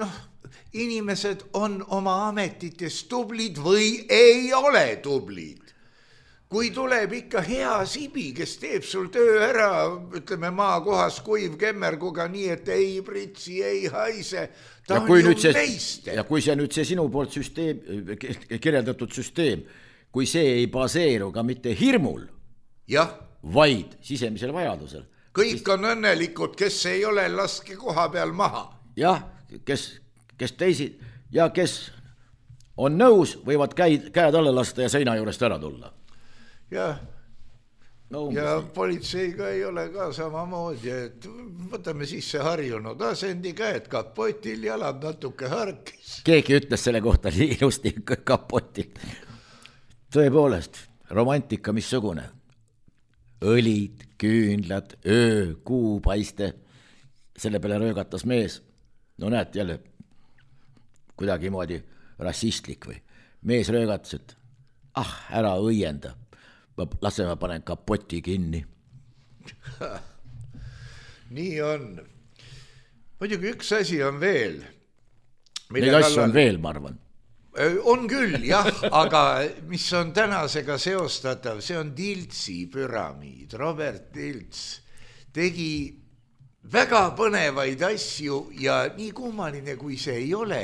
inimesed on oma ametites tublid või ei ole tublid. kui tuleb ikka hea sibi, kes teeb sul töö ära, ütleme maakohas kuiv kemmerguga nii, et ei pritsi, ei haise, ta on ju meister. Ja kui see nüüd see sinu poolt kirjeldatud süsteem, kui see ei baseeru ka mitte hirmul, vaid sisemisel vajadusel. Kõik on õnnelikud, kes ei ole, laske koha peal maha. Jah, kes teisi ja kes on nõus, võivad käed alla lasta ja seina juurest ära tulla. Ja politseiga ei ole ka samamoodi, et võtame sisse harjunud asendi, käed kapotil, jalad natuke harkis. Keegi ütles selle kohta ilusti kapotil. Tõepoolest, romantika missugune. Õlid, küünlad, öö, kuu paiste. Selle peale röögatas mees. No näed jälle kuidagi moodi rassistlik või. Mees röögatas, et ära õienda. Lase ma panen kapoti kinni. Nii on. Muidugi üks asi on veel. Neid asju on veel, ma arvan. On küll, jah, aga mis on tänasega seostatav, see on Tiltsi püramiid. Robert Tilts tegi väga põnevaid asju ja nii kummaline, kui see ei ole.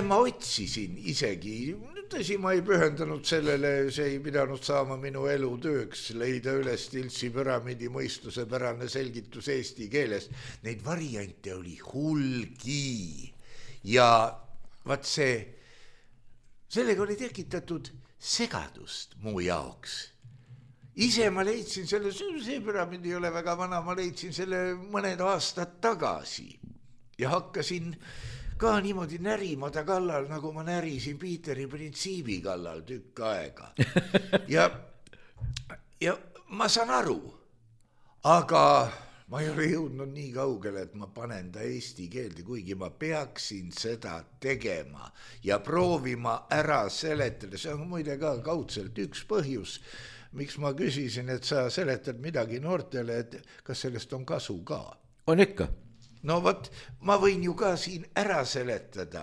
Ma otsisin isegi, tõsi, ma ei pühendanud sellele, see ei pidanud saama minu elutööks, leida üles Tiltsi püramiidi mõistusepärane selgitus eesti keeles. Neid variante oli hulgi ja vaat sellega oli tekitatud segadust muu jaoks. Ise ma leidsin selle, see püramiid ei ole väga vana, ma leidsin selle mõned aastad tagasi ja hakkasin ka niimoodi närima ta kallal, nagu ma närisin Piiteri printsiibi kallal tükk aega. Ja ma saan aru, aga ma ei ole jõudnud nii kaugele, et ma panen ta eesti keelde, kuigi ma peaksin seda tegema ja proovima ära seletada. See on muide ka kaudselt üks põhjus, miks ma küsisin, et sa seletad midagi noortele, et kas sellest on kasu ka? On ikka. No võt, ma võin ju ka siin ära seletada.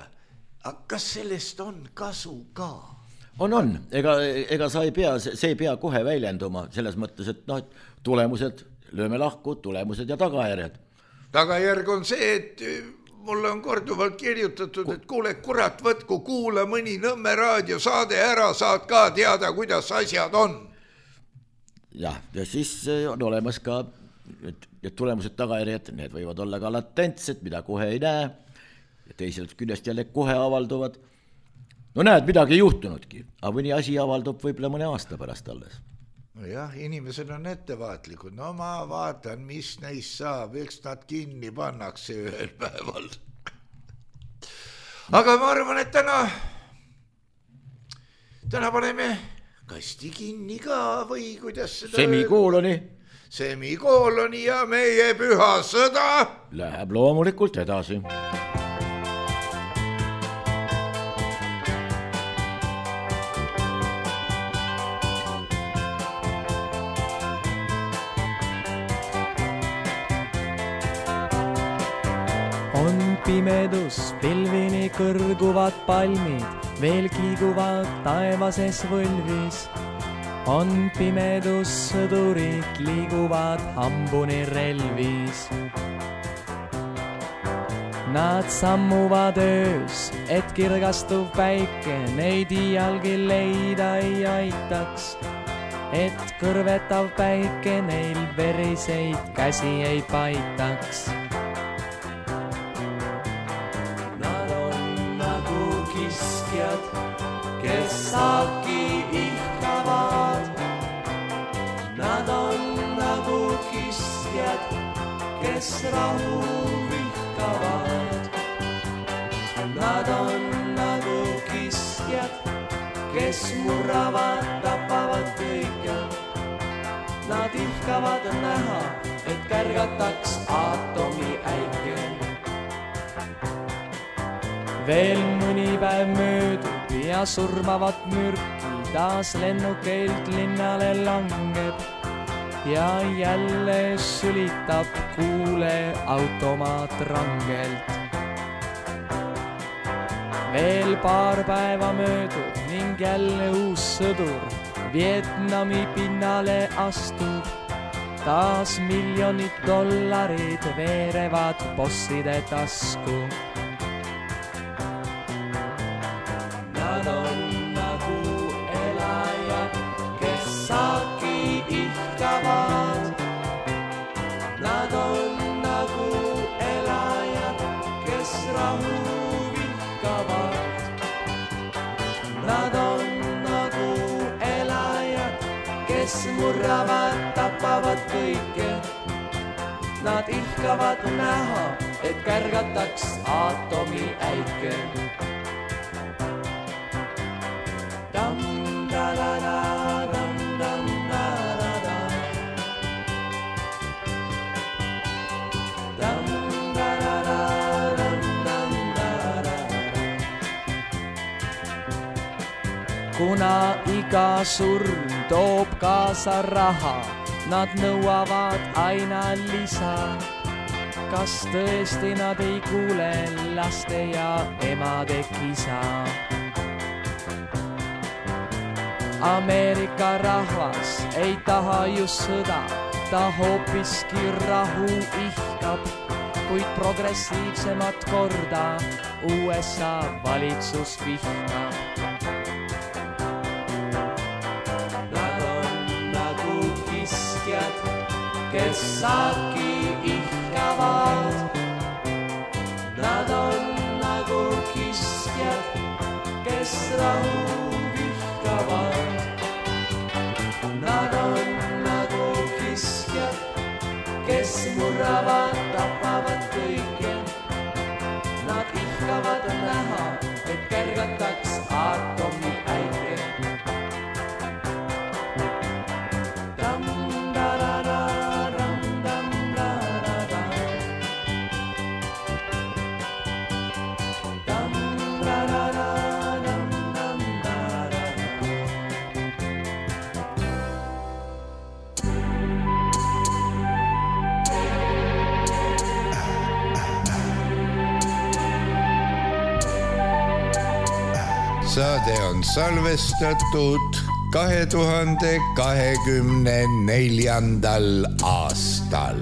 Aga kas sellest on kasu ka? On. Ega sa ei pea, see ei pea kohe väljenduma selles mõttes, et tulemused, lööme lahku, tulemused ja tagajärjed. Tagajärg on see, et mulle on korduvalt kirjutatud, et kuule, kurat, võtku, kuula mõni Nõmme raadiosaade ära, saad ka teada, kuidas asjad on. Ja siis on olemas ka et tulemused, tagajärjed, need võivad olla ka latentsed, mida kohe ei näe, ja teiselt küljest jälle kohe avalduvad. No näed, midagi ei juhtunudki, aga mõni asi avaldub võib-olla mõne aasta pärast alles. No jah, inimesed on ettevaatlikud, no ma vaatan, mis neist saab, eks nad kinni pannakse ühel päeval. Aga ma arvan, et täna paneme kasti kinni ka või kuidas seda Semikooloni ja meie püha sõda läheb loomulikult edasi. On pimedus, pilvini kõrguvad palmid, veel kiiguvad taevases võlvis. On pimedus, sõdurid liiguvad hambuni relvis. Nad sammuvad öös, et kirgastuv päike neid iialgi leida ei aitaks. Et kõrvetav päike neil veriseid käsi ei paitaks. Nad on nagu kiskjad, kes saaki ihkavad. Nad on nagu kiskjad, kes rahu vihkavad. Nad on nagu kiskjad, kes murravad, tapavad kõike. Nad ihkavad näha, et kärgataks aatomi äike. Veel mõni päev möödub ja surmavat mürki taas lennukeilt linnale langeb. Ja jälle sülitab kuule automaat rangelt. Veel paar päeva möödub ning jälle uus sõdur Vietnami pinnale astub, taas miljonid dollarid veerevad bosside tasku. Nad on nagu elajad, kes saaki ihkavad. Nad on nagu elajad, kes rahu vihkavad. Nad on nagu elajad, kes murravad, tapavad kõike. Nad ihkavad näha, et kärgataks aatomi äike. Kuna iga surm toob kaasa raha, nad nõuavad aina lisa. Kas tõesti nad ei kuule laste ja emade kisa? Ameerika rahvas ei taha just sõda, ta hoopiski rahu ihkab, kuid progressiivsemat korda USA valitsus vihkab. Kes saaki ihkavad, nad on nagu kiskjad, kes rahu vihkavad. Nad on nagu kiskjad, kes murravad, tapavad kõike. Nad ihkavad näha, et kärgataks aatomi äike. Saade on salvestatud 2024. aastal.